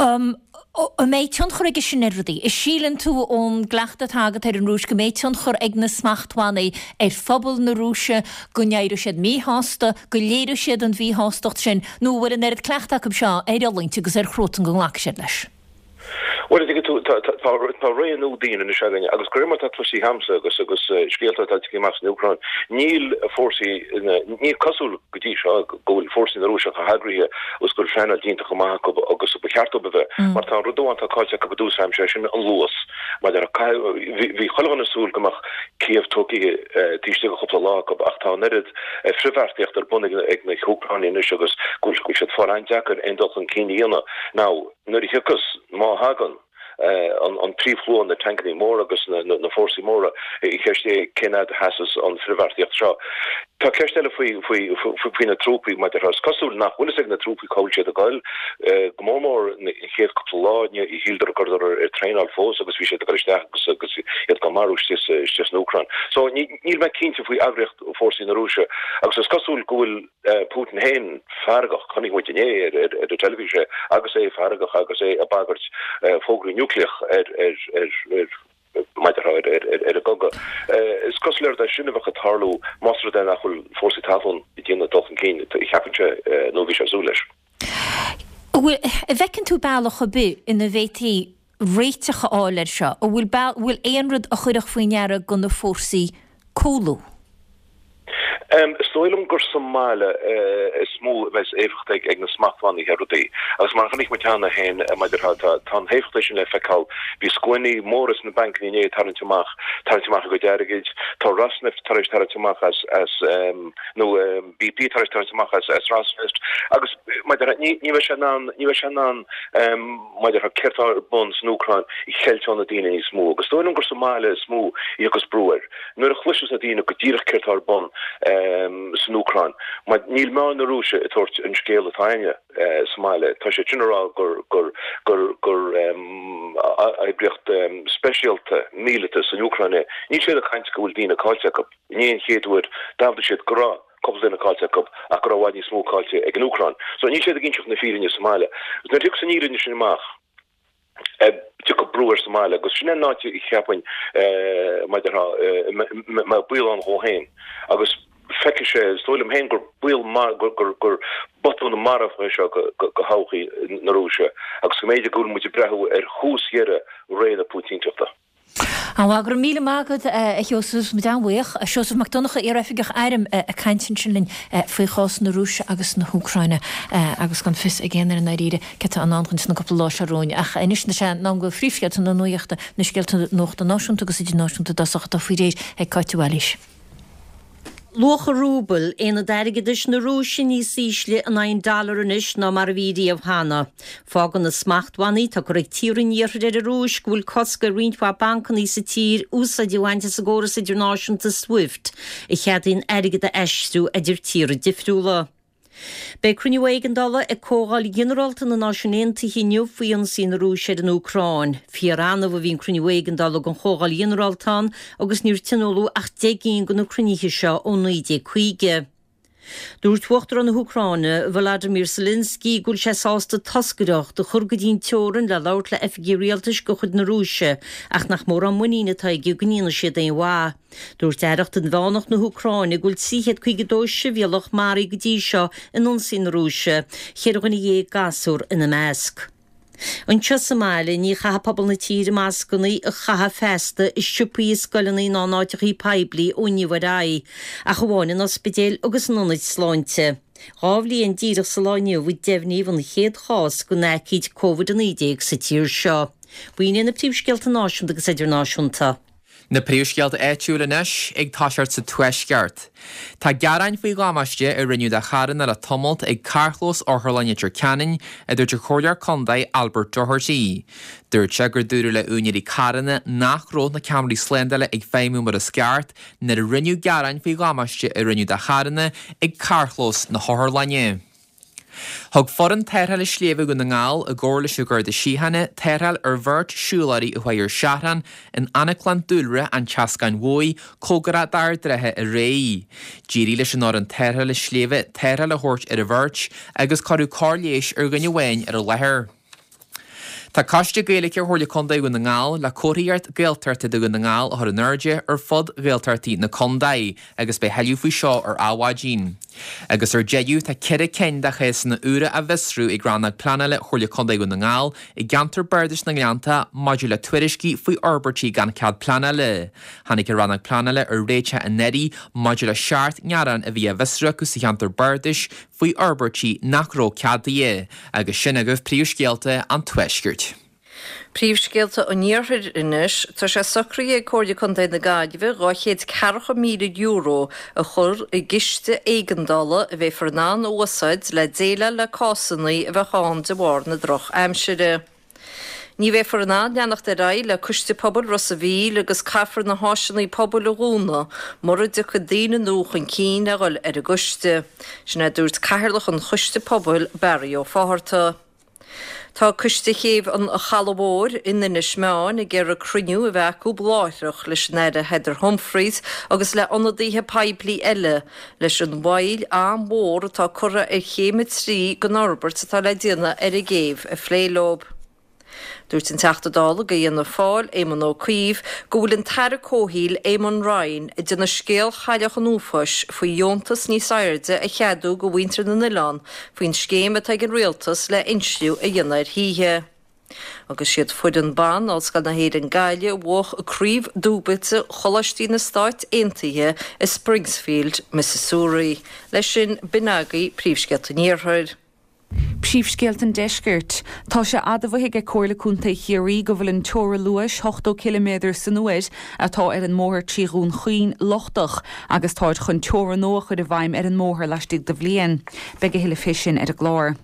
S1: An mbeidh tionchar aige sin ar rudaí? An síleann tú ón gcleachtadh atá agat ar an Rúis go mbeidh tionchar ag na smachtbhannaí ar phobal na Rúise, go n-éireoidh siad míshásta, go léireoidh siad an mhíshástacht sin, nó an bhfuil an oiread cleachta acu seo ar fhulaingt agus ar chruatan go nglacfaidh siad leis?
S8: Bhuel, an dtuigeann tú, tá ré nua dian anois againn agus de réir mar atá cloiste agamsa agus agus scéalta atá tagtha amach as an Úcráin, níl fórsaí, ní cosúil go dtí seo go bhfuil fórsaí na Rúise chomh heagraithe agus go bhfuil pleanáil déanta chomh maith acu agus ba cheart dóibh a bheith. Mar tá an rud amháin atá caillte acu i dtús ama, sé sin an luas. Mar bhí chuile dhuine ag súil go mbeadh Cív tógtha taobh istigh de chúpla lá acu ach tá an oiread frithbheartaíocht ar bun ag na hÚcránaigh anois agus go bhfuil siad ag fáil an-deacair aon dul chun cinn a dhéanamh. Now. Nuair a thiocfas, má thagann, an príomhshlua, na tancannaí móra agus na fórsaí móra, ceist é cén fhad a sheasas an frithbheartaíocht seo. Tá ceist eile faoi faoi na trúpaí, mar is cosúil nach bhfuil fhios ag na trúpaí cá bhfuil siad ag goil. Go mór mór an chéad cúpla lá, shíleadar go rabhadar ar traenáil fós agus bhí siad ag dul isteach agus agus iad á marú istigh san Úcráin. So níl mé cinnte faoi eagraíocht fórsaí na Rúise agus is cosúil go bhfuil Putin féin feargach, chonaic muid inné ar an teilifís é agus é feargach agus é ag bagairt fógraí núicléach ar maidir ar an gcogadh. Is cosúil le rud é sin a bheadh ag tarlú más rud é nach bhfuil fórsaí talún ag déanamh dul chun cinn a cheapann sé nó a bhí sé ag súil leis.
S1: An bhfuil, an bhfeiceann tú bealach ar bith ina bhféadfaí réiteach a fháil air seo? An bhfuil, bhfuil aon rud a chuirfeadh faoi ndeara do na fórsaí cúlú?
S8: Is dóigh liom gur sa mbaile is mó a bheas éifeacht ag na smachtbhannaí ar rudaí. Agus mar a chonaic muid cheana féin, maidir, tá an éifeacht sin le feiceáil. Bhí scuainí móra sna bancanna inné ag tarraingt amach, tarraingt amach a gcuid airgid. Tá Rosneft tar éis tarraingt amach as, as, nó BP tar éis tarraingt amach as, as Rosneft. Agus maidir, ní bheidh sé in ann, ní bheidh sé in ann, maidir le céard atá ar bun san Úcráin a cheilt ó na daoine níos mó. Agus is dóigh liom gur sa mbaile is mó a thiocfas brú air. Nuair a chloisfeas na daoine go díreach céard atá ar bun san Úcráin, mar níl meáin na Rúise ag tabhairt an scéal atá againne sa mbaile. Tá siad sin ag rá gur gur gur gur oibríocht speisialta míleata san Úcráin é. Níl siad ag caint go bhfuil daoine caillte acu. Inné an chéad uair d'admhaigh siad go raibh cúpla duine caillte acu ach go raibh i bhfad níos mó caillte ag an Úcráin. So níl siad ag inseacht na fírinne sa mbaile. Agus nuair a thiocfas an fhírinne sin amach, tiocfaidh brú air sa mbaile agus sin é an áit a cheapfainn maidir a mbeadh baol ann dhó féin agus feicfidh sé, is dóigh liom féin gur baol gur gur botún marbh é seo do thodhchaí na Rúise agus go mb'fhéidir go bhfuil muid ag breathnú ar thús dheireadh ré na Púitínteachta.
S1: An-mhaith, go raibh míle maith agat a Sheosaimh, muid an-bhuíoch. Seosamh Mac Donncha, iar-oifigeach airm ag caint ansin linn faoi chás na Rúise agus na hÚcráine agus gan fios ag aon duine i ndáiríre céard atá i ndán dhúinn sna cúpla lá seo romhainn. Ach anois tá sé in am do phríomhscéalta na nuachta, na scéalta nuachta náisiúnta agus idirnáisiúnta i dtosach atá faoi réir ag Cáit de Bhailís.
S2: Luach an rúbail, aonad airgeadais na Rúise, níos ísle in aghaidh an dollar anois ná mar a bhí riamh cheana. Fágann na smachtbhannaí atá curtha ag tíortha an Iarthair ar an Rúis go bhfuil cosc ar roinnt mhaith bancanna sa tír úsáid a bhaint as an gcóras idirnáisiúnta Swift a cheadaíonn airgead a aistriú idir tíortha difriúla. Beidh cruinniú éigeandála ag Comhdháil Ghinearálta na Náisiún Aontaithe inniu faoi ionsaí na Rúise ar an Úcráin. Fíor-annamh a bhíonn cruinniú éigeandála den Chomhdháil Ghinearálta ann agus níor tionóladh ach 10 gcinn de na cruinnithe seo ó 1950. Dúirt Uachtarán na hÚcráine, Volodymyr Zelensky, go bhfuil sé sásta toscaireacht a chur go dtí an teorainn le labhairt le oifigigh rialtais de chuid na Rúise ach nach mórán muiníne atá aige go ndéanfaidh siad aon mhaith. Dúirt Aireacht Inmheánach na hÚcráine go bhfuil 352 sibhialtach maraithe go dtí seo in ionsaí na Rúise, 14 dhuine gasúr ina measc. Anseo sa mbaile, ní chaithfidh pobal na tíre mascanna a chaitheamh feasta i siopaí, i scoileanna ná in áiteachaí poiblí ó inniu ar aghaidh, ach amháin in ospidéil agus in ionaid sláinte. 2 bhliain díreach sa lá inniu a deimhníodh an chéad chás den aicíd Covid-19 sa tír seo. B'in iad na príomhscéalta náisiúnta agus idirnáisiúnta.
S3: Na príomhscéalta áitiúil anois, ag toiseacht sa Tuaisceart. Tá gearáin faoi dhamáiste a rinneadh do charranna le tamalt ag carrchlós Otharlann Leitir Ceanainn, a dúirt an Comhairleoir Contae Albert Doherty. Dúirt sé gur dúradh le úinéirí carranna nach raibh na ceamaraí slándála ag feidhmiú mar is ceart nuair a rinneadh gearáin faoi dhamáiste a rinneadh do charranna ag carrchlós na hotharlainne. Thug foireann tarrthála sléibhe Dhún na nGall, i gcomhar leis an Gharda Síochána, tarrtháil ar bheirt siúlóirí a chuaigh ar seachrán in Anaclann Dúlra an tSeascáin Mhóir, cóngarach d'Ard Rátha aréir. D'éirigh leis an fhoireann tarrthála sléibhe tarrtháil a thabhairt ar an bheirt agus cuireadh cóir leighis ar dhuine amháin ar an láthair. Tá Coiste Gaeilge Chomhairle Contae Dhún na nGall le comharthaíocht Gaeltachta do Dhún na nGall a chur in airde ar fud Ghaeltachtaí na contae agus beidh thuilleadh faoi seo ar Adhmhaidin. Agus ar deireadh, tá 4 cinn de chásanna úra á bhfiosrú ag Rannóg Pleanála Chomhairle Contae Dhún na nGall i gceantar Bardais na nGleannta maidir le tuairiscí faoi fhorbairtí gan cead pleanála. Tháinig an Rannóg Pleanála ar réiteach anuraidh maidir le 7 ngearán a bhí á bhfiosrú acu sa cheantar bardais faoi fhorbairtí nach raibh ceadaithe. Agus sin agaibh príomhscéalta an Tuaiscirt.
S4: Príomhscéalta an Iarthair anois. Tá sé socraithe ag Comhairle Contae na Gaillimhe €240,000 a chur i gciste éigeandála a bheifear in ann a úsáid le déileáil le cásanna a bheadh ann de bharr na drochaimsire. Ní bheifear in ann leanacht ar aghaidh le Coiste Pobail Ros a' Mhíl agus caithfear na háiseanna pobail a dhúnadh mura dtiocfaidh daoine nua chun cinn le dhul ar an gcoiste. Sin é a dúirt Cathaoirleach an Choiste Pobail, Barry Ó Fátharta. Tá Coiste Chéibh an Chalaidh Mhóir in Inis Meáin ag iarraidh cruinniú a bheith acu láithreach leis an Aire Heather Humphreys agus le ionadaithe poiblí eile leis an mhoill an-mhór atá curtha ar chéim 3 den fhorbairt atá le déanamh ar an gcéibh a phlé leo. Dúirt an Teachta Dála do Fhianna Fáil, Éamon Ó Cuív, go bhfuil an tAire Comhshaoil, Eamon Ryan, ag déanamh scéal Chailleach an Uafáis faoi dheontas níos airde a cheadú do mhuintir na n-oileán faoin scéim atá ag an Rialtas le insliú a dhéanamh ar thithe. Agus siad foireann ban Ollscoil na hÉireann Gaillimh a bhuaigh Craobh Dúbailte Choláistí na Stáit Aontaithe i Springsfield, Mississouri. Leis sin, b'in agaibh príomhscéalta an Iarthair.
S5: Príomhscéalta an Deiscirt. Tá sé admhaithe ag Comhairle Contae Chiarraí go bhfuil an teora luais, 80 ciliméadar san uair, atá ar an mbóthar trí Dhún Chaoin lochtach agus táid chun teora nua a chur i bhfeidhm ar an mbóthar laistigh de bhliain. Beidh a thuilleadh fé sin ar an gclár.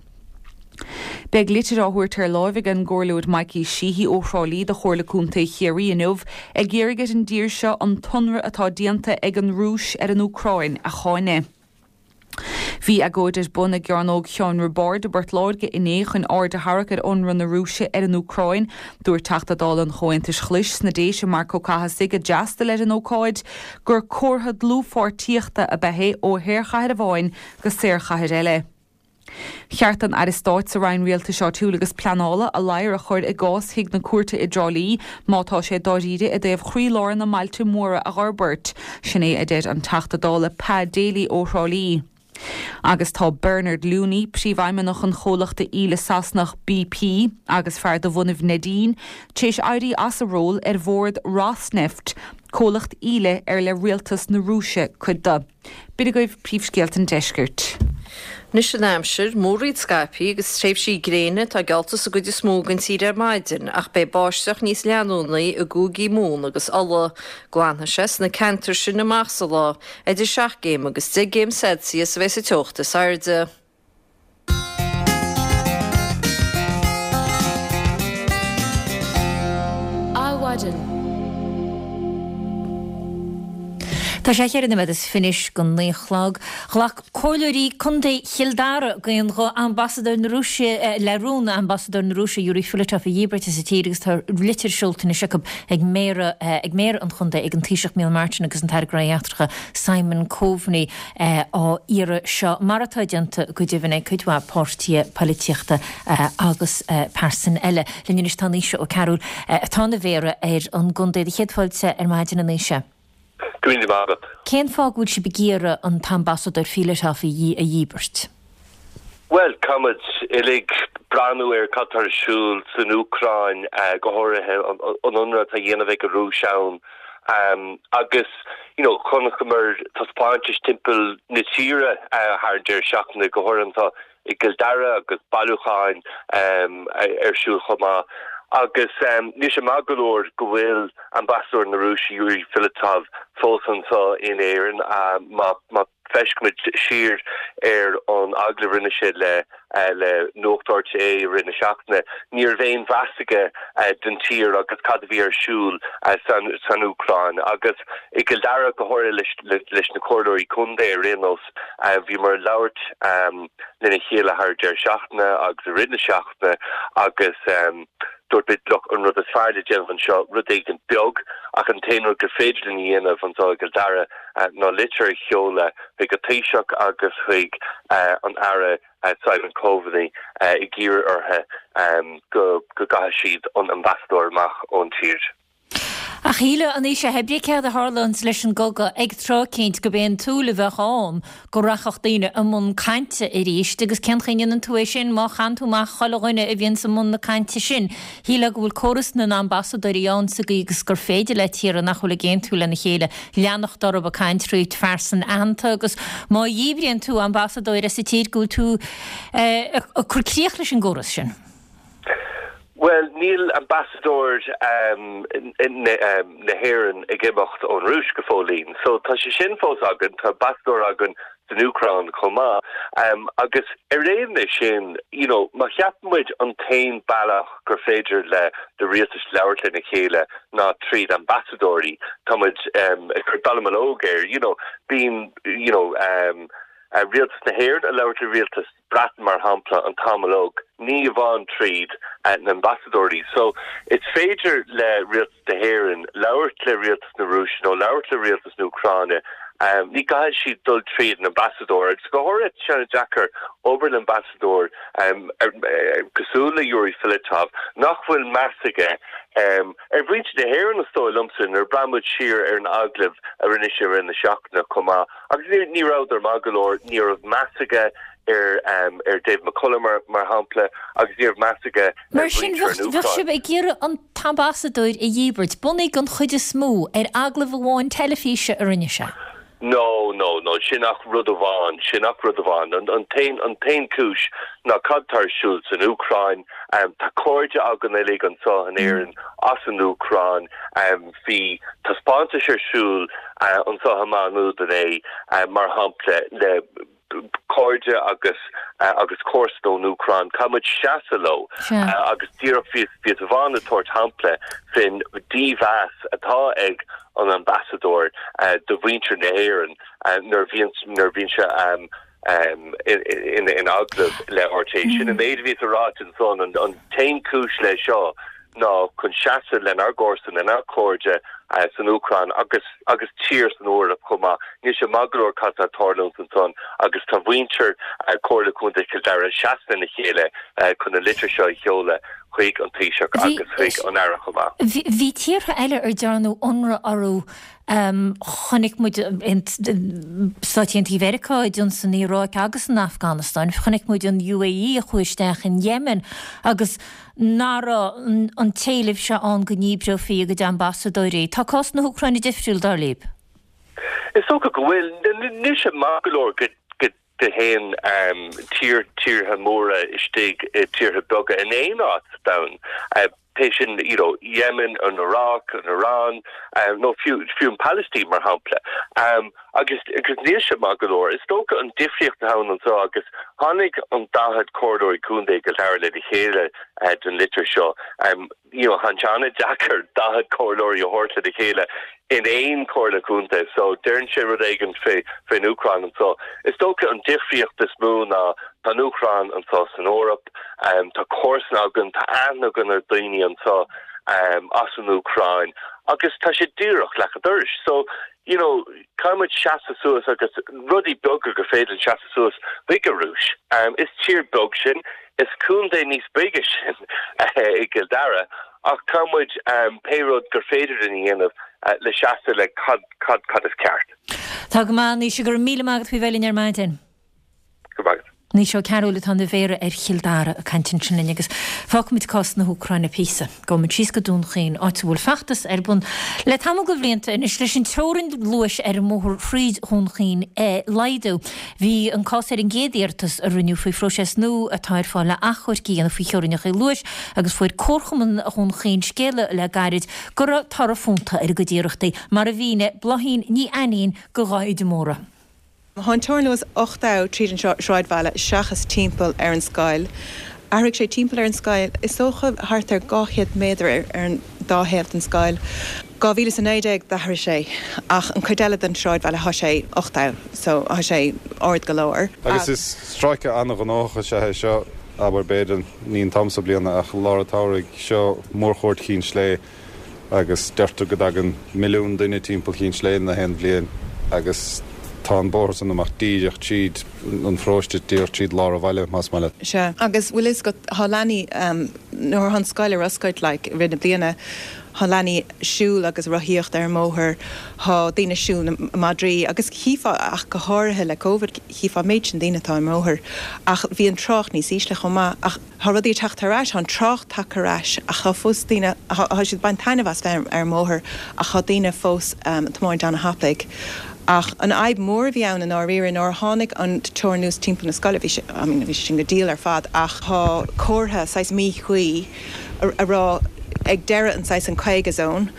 S5: Beidh litir á thabhairt ar láimh ag an gComhairleoir Mikey Sheehy ó Thrá Lí do Chomhairle Contae Chiarraí inniu ag iarraidh ar an dtír seo an t-ionradh atá déanta ag an Rúis ar an Úcráin a cháineadh. Bhí agóid ar bun i gCearnóg Sheáin Roibeáird i bPort Láirge inné chun aird a tharrac ar ionradh na Rúise ar an Úcráin. Dúirt Teachta Dála an Chomhaontais Ghlais sna Déise Marc Ó Cathasaigh a d'fhreastail ar an ócáid gur comhartha dlúthpháirtíochta ab ea é ó shaorchathair amháin go saorchathair eile. Cheart don Aire Stáit sa Roinn Rialtais Áitiúil agus Pleanála a ladhar a chur i gcás Thigh na Cúirte i dTrá Lí má tá sé dáiríre i dtaobh chroílár na mbailte móra a dh'fhorbairt. Sin é a deir an Teachta Dála Pa Daly ó Thrá Lí. Agus tá Bernard Looney, príomhfheidhmeannach an chomhlachta íle Sasanach BP agus fear de bhunaibh Neidín, tar éis éirí as a ról ar bhord Rosneft, comhlacht íle ar le rialtas na Rúise cuid de. B'in agaibh príomhscéalta an deiscirt.
S4: Anois an aimsir, múraíl scaipthe agus tréimhsí gréine atá geallta sa gcuid is mó den tír ar maidin ach beidh báisteach níos leanúnaí i gcúigí Mumhan agus Uladh. Glanfaidh sé sna ceantair sin amach sa lá. Idir 7 gcéim agus 10 gcéim Celsius a bheidh sa teocht is airde.
S1: Adhmhaidin. Tá sé cheithre nóiméad is fiche don naoi a chlog. Ghlac comhairleoirí contae Chill Dara d'aon ghuth Ambasadóir na Rúise le rún Ambasadóir na Rúise Yuri Filatov a dhíbirt as an tír agus tá litir seolta anois acu ag Méara ag Méara an chontae ag an Taoiseach Micheál Martin agus an tAire Gnóthaí Eachtracha Simon Coveney. á iarraidh seo, mar atá déanta go deimhin ag cuid mhaith páirtithe poilitíochta agus pearsain eile. Linn anois tá Naoise Ó Cearúil, atá ina Mhéara ar an gcontae. Do chéad fáilte ar maidin, a Naoise.
S9: Go raibh míle maith agat.
S1: Cén fáth go bhfuil sibh ag iarraidh an t-ambasadóir Filatov a dhíbirt?
S9: Bhuel, caithfimid uilig breathnú ar cad tá ar siúl san Úcráin, go háirithe an ionradh atá á dhéanamh ag an Rúis ann. Agus, you know, chonaiceamar taispeántais timpeall na tíre thar an deireadh seachtaine, go háirithe anseo i gCill Dara agus bailiúcháin ar siúl chomh maith. Agus níl sé maith go leor go bhfuil ambasadóir na Rúise, Yuri Filatov, fós anseo in Éirinn. Má feicimid siar ar an agallamh a rinne sé le le Nuacht RTÉ i rith na seachtaine, ní raibh aon mheas aige don tír agus cad a bhí ar siúl san Úcráin. Agus i gCill Dara, go háirithe leis na comhairleoirí contae ar aon nós, bhíomar ag labhairt lena chéile thar an deireadh seachtaine agus i rith na seachtaine agus dúirt muid, look, an rud is fearr le déanamh anseo, rud éigin beag, ach an t-aon rud gur féidir linn a dhéanamh anseo i gCill Dara, ná litir a sheoladh chuig an Taoiseach agus chuig an Aire Simon Coveney ag iarraidh orthu. go gcaithfidh siad an ambasadóir amach ón tír.
S1: Ach shílfeá anois pé ar bith céard a tharlaíonns leis an gcogadh ag tráth eicínt gurb é an tsúil a bheadh ann go rachadh daoine i mbun cainte arís agus cén chaoi a ndéanann tú é sin má chaitheann tú amach chuile dhuine a bhíonns i mbun na cainte sin. Shílfeá go bhfuil córas na n-ambasadóirí ann sa gcaoi agus gur féidir le tíortha nach bhfuil ag aontú lena chéile leanacht orthu ag caint thríd phearsain aitheanta agus má dhíbríonn tú ambasadóir as an tír go bhfuil tú ag cur críoch leis an gcóras sin.
S9: Bhuel, níl ambasadóir na hÉireann ag imeacht ón Rúis go fóillín. So tá sé sin fós againn, tá ambasadóir againn san Úcráin chomh maith. Agus ar aon ní sin, you know, má cheapann muid an t-aon bealach gur féidir le do rialtais labhairt lena chéile ná tríd ambasadóirí, tá muid ag cur dallamullóg air, you know, bíonn, you know, rialtas na hÉireann ag labhairt le rialtas Breatain, mar shampla, an t-am uilig, ní amháin tríd na ambasadóirí. So, is féidir le rialtas na hÉireann labhairt le rialtas na Rúise nó labhairt le rialtas na Úcráine. Ní gcaithfidh siad dul tríd an ambasadóir. Agus go háirithe, tá sé an-deacair obair le ambasadóir cosúil le Yuri Filatov, nach bhfuil meas aige ar mhuintir na hÉireann, is dóigh liomsa, nuair a breathnaíonn muid siar ar an agallamh a rinne sé i rith na seachtaine chomh maith. Agus ní rabhadar maith go leor, ní raibh meas aige ar ar David McCullough mar mar shampla agus ní raibh meas aige ar
S1: Mar sin,
S9: mhuintir an
S1: bheadh bheadh
S9: Úcráin.
S1: sibh ag iarraidh an t-ambasadóir a dhíbirt, bunaithe den chuid is mó ar agallamh amháin teilifíse a rinne sé.
S9: No, no, no, sin ach rud amháin, sin ach rud amháin. An an t-aon an t-aon cúis ná cad tá ar siúl san Úcráin. Tá cairde againn uilig anseo in Éirinn as an Úcráin. Bhí taispeántais ar siúl anseo i Maigh Nuad inné, mar shampla, le cairde agus agus comharsana ón Úcráin. Caithfidh muid seasamh leo agus díreach bhíos bhíos amháin ag tabhairt shampla faoin dímheas atá ag an ambasadóir do mhuintir na hÉireann nuair a bhíonn nuair a bhíonn sé in agallamh le RTÉ. Sin an méid a bhíos a ráit ansan, an t-aon chúis le seo ná chun seasamh lenár gcomharsain, lenár gcairde san Úcráin agus agus tír san Eoraip chomh maith. Níl sé maith go leor cad tá ag tarlúint ansan agus tá mhuintir Comhairle Contae Chill Dara seasamh lena chéile chun an litir seo a sheoladh chuig an Taoiseach agus chuig an Aire chomh maith.
S1: Bhí tíortha eile ar dearnadh ionradh orthu Chonaic muid Stáit Aontaithe Mheiriceá ag ionsaí an Iaráic agus an Afganastáin. Chonaic muid an UAE a chuaigh isteach in Yemen agus nach raibh an t-éileamh seo ann go ndíbreofaí a gcuid ambasadóirí. Tá cás na hÚcráine difriúil, dar libh?
S9: Is dócha go bhfuil. Níl sé maith go leor go dtéann tír, tíortha móra istigh i tíortha beaga in aon áit sa domhan, pé sin you know Yemen, an Iraq, an Iran nó fiú fiú an Palaistín mar shampla. Agus agus níl sé maith go leor. Is dócha an difríocht atá ann anseo agus tháinig an 40 comhairleoirí contae i gCill Dara lena chéile don litir seo. You know, tá sé an-deacair 40 comhairleoirí a thabhairt lena chéile in aon chomhairle contae so deireann sé rud éigin fé fén Úcráin anseo. Is dócha an difríocht is mó ná tá an Úcráin anseo san Eoraip, tá comharsana againn, tá aithne againn ar daoine anseo as an Úcráin agus tá sé díreach leac an dorais. So, you know, caithfidh muid seasamh suas agus rudaí beaga gur féidir linn seasamh suas chuig an Rúis. Is tír beag sinn, Is contae níos bige sinn i gCill Dara ach caithfidh muid pé rud gur féidir linn a dhéanamh le seasamh le cad cad cad is ceart.
S1: Tá go maith, Naoise, go raibh míle maith agat faoi bheith linn ar maidin.
S9: Go raibh maith agat.
S1: Naoise Ó Cearúil atá ina Mhéara ar Chill Dara ag caint ansin linn agus fágfaimid cás na hÚcráine píosa. Gabhfaimid síos go Dún Chaoin, áit a bhfuil feachtas ar bun le tamall de bhlianta anois leis an teorainn luais ar an mbóthar thríd Dhún Chaoin a laghdú. Bhí an cás ar an gcéad iarratas a rinneadh faoi phróiseas nua atá ar fáil le achomhairc a dhéanamh faoi theorainneacha luais agus fuair Comharchumann Dhún Chaoin scéala le gairid go raibh toradh fónta ar a gcuid iarrachtaí, mar a mhínigh Bláithín Ní Ainnín do Dháithí de Mórdha.
S10: Tá an teorainn luais 8 abh tríd an sráidbhaile seachas timpeall ar an scoil. Athraigh sé timpeall ar an scoil, is dócha thart ar 200 méadar ar an dá thaobh den scoil. 2019 d'athraigh sé ach an chuid eile den sráidbhaile thá sé 8 abh so thá sé ard go leor.
S11: Agus is stráice an-ghnóthach is ea é seo, abair, b'fhéidir, ní an t-am so bliana ach lár an tsamhraidh, seo mórchuairt Chinn Slé agus deirtear go dtagann milliún duine timpeall Chinn Sléibhe na haon bhliain agus. Tá an bóthar san amach díreach tríd an pharóiste, díreach tríd lár an bhaile, más maith leat.
S10: Sea. Agus bhfuil fhios agat, thá leanaí, nuair thá an scoil ar oscailt, like, i rith na bliana, thá leanaí siúl agus rothaíocht ar an mbóthar, thá daoine siúl na madraí agus chífeá, ach go háirithe le Covid, chífeá an méid sin daoine atá ar an mbóthar. Ach bhí an trácht níos ísle chomh maith. Ach thá rudaí ag teacht thar ais, thá an trácht tagtha ar ais ach thá fós daoine, thá siad ag baint taitneamh as bheith ar an mbóthar ach thá daoine fós ag tiomáint ana-thapaidh. Ach an fhadhb mhór a bhí ann i ndáiríre nuair a tháinig an teorainn luais timpeall na scoile, bhí sé, I mean bhí sé sin go diail ar fad ach thá comhartha saghas míchuí a rá ag deireadh an saghas an 50 zone,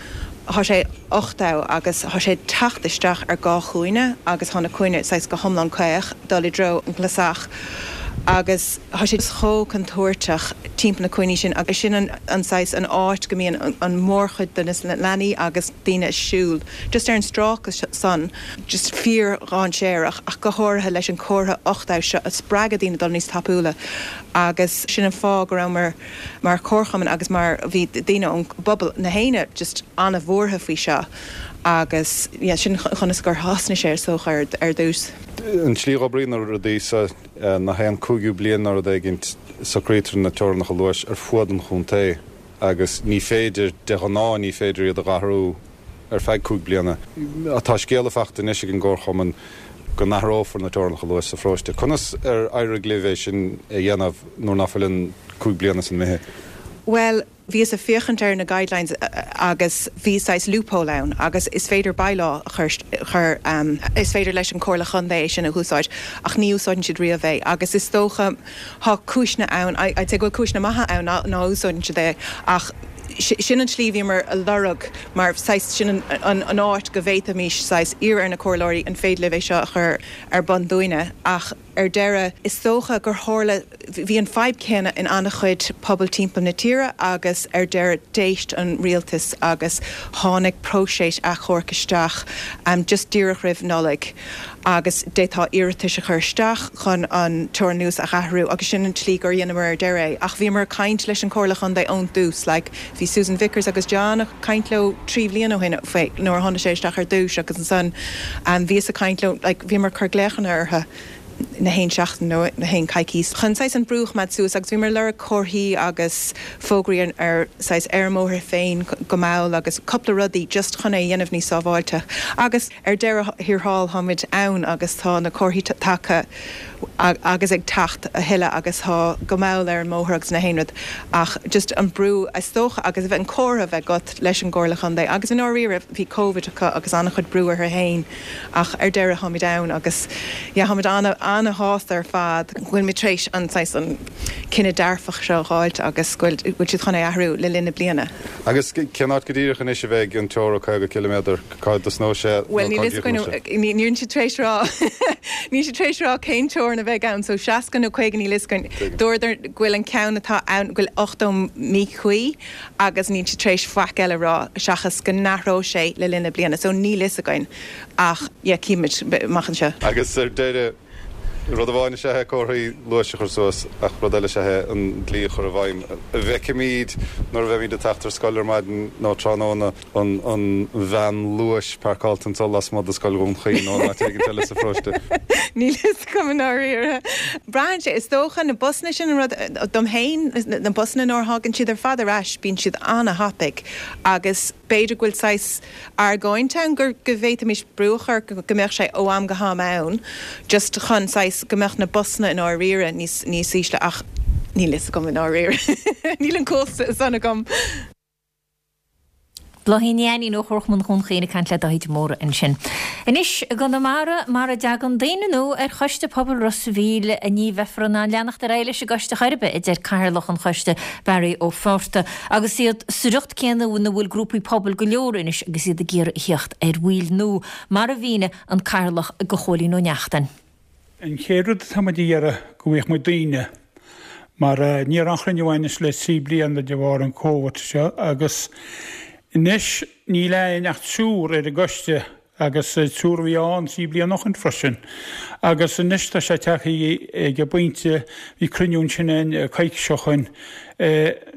S10: thá sé 80 agus thá sé ag teacht isteach ar dhá chúinne agus thá na cúinne saghas go hiomlán caoch dul i dtreo an Clasach agus thá sé chomh contúirteach timpeall na cúinní sin agus sin an saghas an áit go mbíonn an mórchuid de na leanaí agus daoine ag siúl just ar an stráice san just fíor-dhainséarach ach go háirithe leis an comhartha 80 seo a spreagadh daoine dul níos tapúla agus sin an fáth go rabhamar mar chomharchumann agus mar bhí daoine ón bpobal na héinne just an-bhuartha faoi seo agus yeah sin conas gur thosnaigh sé is dócha ar dtús.
S11: An tslí a dh'oibríonn na rudaí so ná haon cúigiú bliain nó rud éigint socraítear na teorainneacha luais ar fuaid an chontae agus ní féidir, de ghnáth ní féidir iad a dh'athrú ar feadh 5 bliana. Tá scéala fachta anois ag an gComharchumann go n-athrófar na teorainneacha luais sa pharóiste. Conas ar éirigh libh é sin a dhéanamh nuair ná fuil an 5 bliana san imithe?
S10: Bhuel, bhíos ag féachaint ar na guidelines agus bhí saghas loophole ann agus is féidir bylaw a chur, chur, is féidir leis an Comhairle Chontae é sin a úsáid ach ní úsáideann siad riamh é agus is dócha thá cúiseanna ann, I'd say go bhfuil cúiseanna maithe ann ná, ná úsáideann siad é ach sin an tslí a bhíomar a lorg mar saghas sin an an áit go bhféadfaimis saghas iarraidh ar na comhairleoirí an féidir libh é seo a chur ar bun dúinne ach ar deireadh is dócha gur tharla bhí an fadhb céanna in an-chuid pobal timpeall na tíre agus ar deireadh d'éist an rialtas agus tháinig próiseas achomhairc isteach just díreach roimh Nollaig agus d'fhéadfá iarratais a chur isteach chun an teorainn luais a athrú agus sin an tslí gur dheineamar ar deireadh é. Ach bhíomar ag caint leis an Chomhairle Chontae ón dtús, like bhí Susan Vickers agus John ag caint leo 3 bhliain ó shin fé nuair a tháinig sé isteach ar dtús agus ansan bhíos ag caint leo, like bhíomar ag cur glaochanna orthu na haon seachtain nó na haon coicís chun saghas an brú a choimeád suas agus bhíomar ag lorg comharthaí agus fógraí ar saghas ar an mbóthar féin go mall agus cúpla rudaí just chun é a dhéanamh níos sábháilte agus ar deireadh thiar thall táimid ann agus tá na comharthaí tagtha agus ag teacht a thuilleadh agus tá go mall ar an mbóthar agus na haon rud ach just an brú is dócha agus a bheith an comhrá a bheith agat leis an gComhairle Chontae agus i ndáiríre bhí Covid acu agus an-chuid brú orthu fhéin ach ar deireadh táimid ann agus yeah táimid an-ana-shásta ar fad go bhfuilimid tar éis an saghas an cinneadh dearfach seo a dh'fháilt agus go bhfuil siad chun é athrú le linn na bliana.
S11: Agus cén áit go díreach anois a bheidh an teora 50 ciliméadar? Cá dtosnóidh sé nó
S10: Bhuel, níl fhios againn, níl siad tar éis rá, níl siad tar éis rá cén teorainn a bheidh ann, so 60 nó 50 níl fhios againn. Dúradar go bhfuil an ceann atá ann, go bhfuil 80 míchuí agus níl siad tar éis faic eile a rá seachas go n-athróidh sé le linn na bliana, so níl fhios againn ach yeah, cífimid amach anseo.
S11: Agus ar deireadh, rud amháin is ea é comharthaí luais a chur suas ach rud eile is ea é an dlí a chur i bhfeidhm. An bhfeicfimid nuair a bheimid ag teacht ar scoil ar maidin nó tráthnóna an veain luais páirceáilte anso lasmuigh de Scoil Dhún Chaoin nó in áit éigin eile sa pharóiste?
S10: Níl fhios agam i ndáiríre. Braitheann sé, is dócha, na busanna sin an rud, dom féin, na busanna nuair a thagann siad ar fad ar ais bíonn siad ana-thapaidh agus b'fhéidir go bhfuil saghas argóint ann go go bhféadfaimis brú a chur go mbeadh sé ó am go ham ann just chun saghas go mbeadh na busanna i ndáiríre níos níos ísle ach níl fhios agam i ndáiríre. Níl an cumhacht san agam.
S1: Bláithín Ní Ainnín ó Chomharchumann Dhún Chaoin ag caint le Dáithí de Mórdha ansin. Anois, i gConamara, mara dtagann daoine nua ar Choiste Pobail Ros a' Mhíl, ní bheifear in ann leanacht ar aghaidh leis an gcoiste chor ar bith, a deir Cathaoirleach an choiste, Barry Ó Fátharta. Agus iad sa riocht céanna ina bhfuil grúpaí pobail go leor anois agus iad ag iarraidh a theacht ar bhaill nua, mar a mhínigh an Cathaoirleach do Chóilín Ó Neachtain.
S12: An chéad rud atá muid a iarraidh go bhfaigheadh muid daoine mar ní raibh aon chruinniú againn anois le 3 bliana de bharr an Covid seo agus anois níl againn ach triúr ar an gcoiste agus triúr a bhí ann 3 bliana ó shin freisin. Agus anois tá sé tagtha ag an bpointe, bhí cruinniú ansin againn coicís ó shin,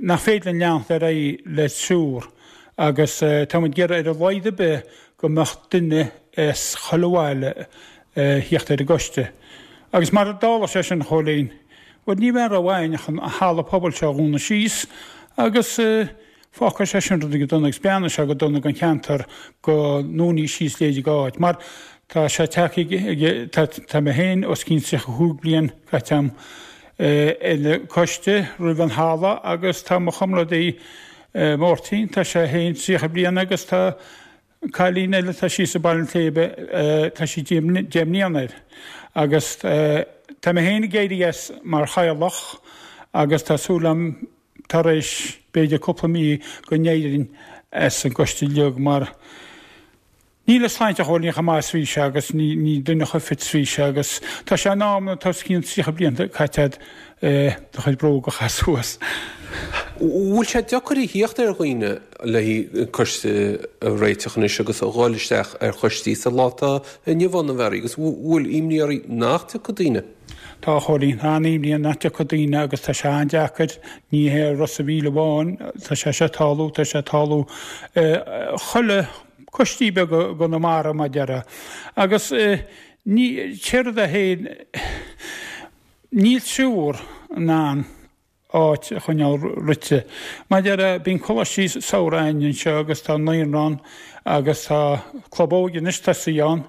S12: nach féidir linn leanacht ar aghaidh le triúr agus tá muid ag iarraidh ar a laghad ar bith go mbeadh duine as chuile bhaile. thíocht ar an gcoiste. Agus mar a dtarla sé sin, a Chóilín, bhuel ní bheidh aon rogha againn ach an halla pobail seo a dhúnadh síos agus fágfaidh sé sin rudaí go dona agus breathnóidh sé go dona don cheantar go ndúnfaí síos leithéid d'áit mar tá sé tagtha ag, tá mé féin os cionn 35 bliain caite agam ar an gcoiste roimh an halla agus tá mo chomrádaí Máirtín, tá sé féin 30 bliain agus tá Cailín eile atá síos i Baile an tSléibhe, tá sí deich mbliana air. Agus tá mé féin ag éirí as mar chathaoirleach agus tá súil agam tar éis b'fhéidir cúpla mí go n-éireoinn as an gcoiste uilig mar níl a sláinte a Chóilín chomh maith is bhí sé agus ní duine chomh fit is bhí sé agus tá sé in am tá os cionn 30 bliain caite agat do chuid bróg a chaitheamh suas.
S13: Bhfuil sé deacair a thíocht ar dhaoine le haghaidh coiste a réiteach anois agus a dhul isteach ar choistí sa lá atá inniu ann, a Mhary, agus bhfuil imní oraibh nach dtiocfaidh daoine?
S12: Tá, a Chóilín, tá an-imní ann nach dtiocfaidh daoine agus tá sé an-deacair, ní hé Ros a' Mhíl amháin, tá sé seo ag tarlú, tá sé ag tarlú chuile coistí beaga i gConamara mar a déarfá. Agus ní, céard é féin, Níl triúr in ann áit a choinneáil rite. Mar a déarfá, bíonn coláistí samhraidh againn anseo agus tá naíonra ann agus tá club óige anois tosaithe ann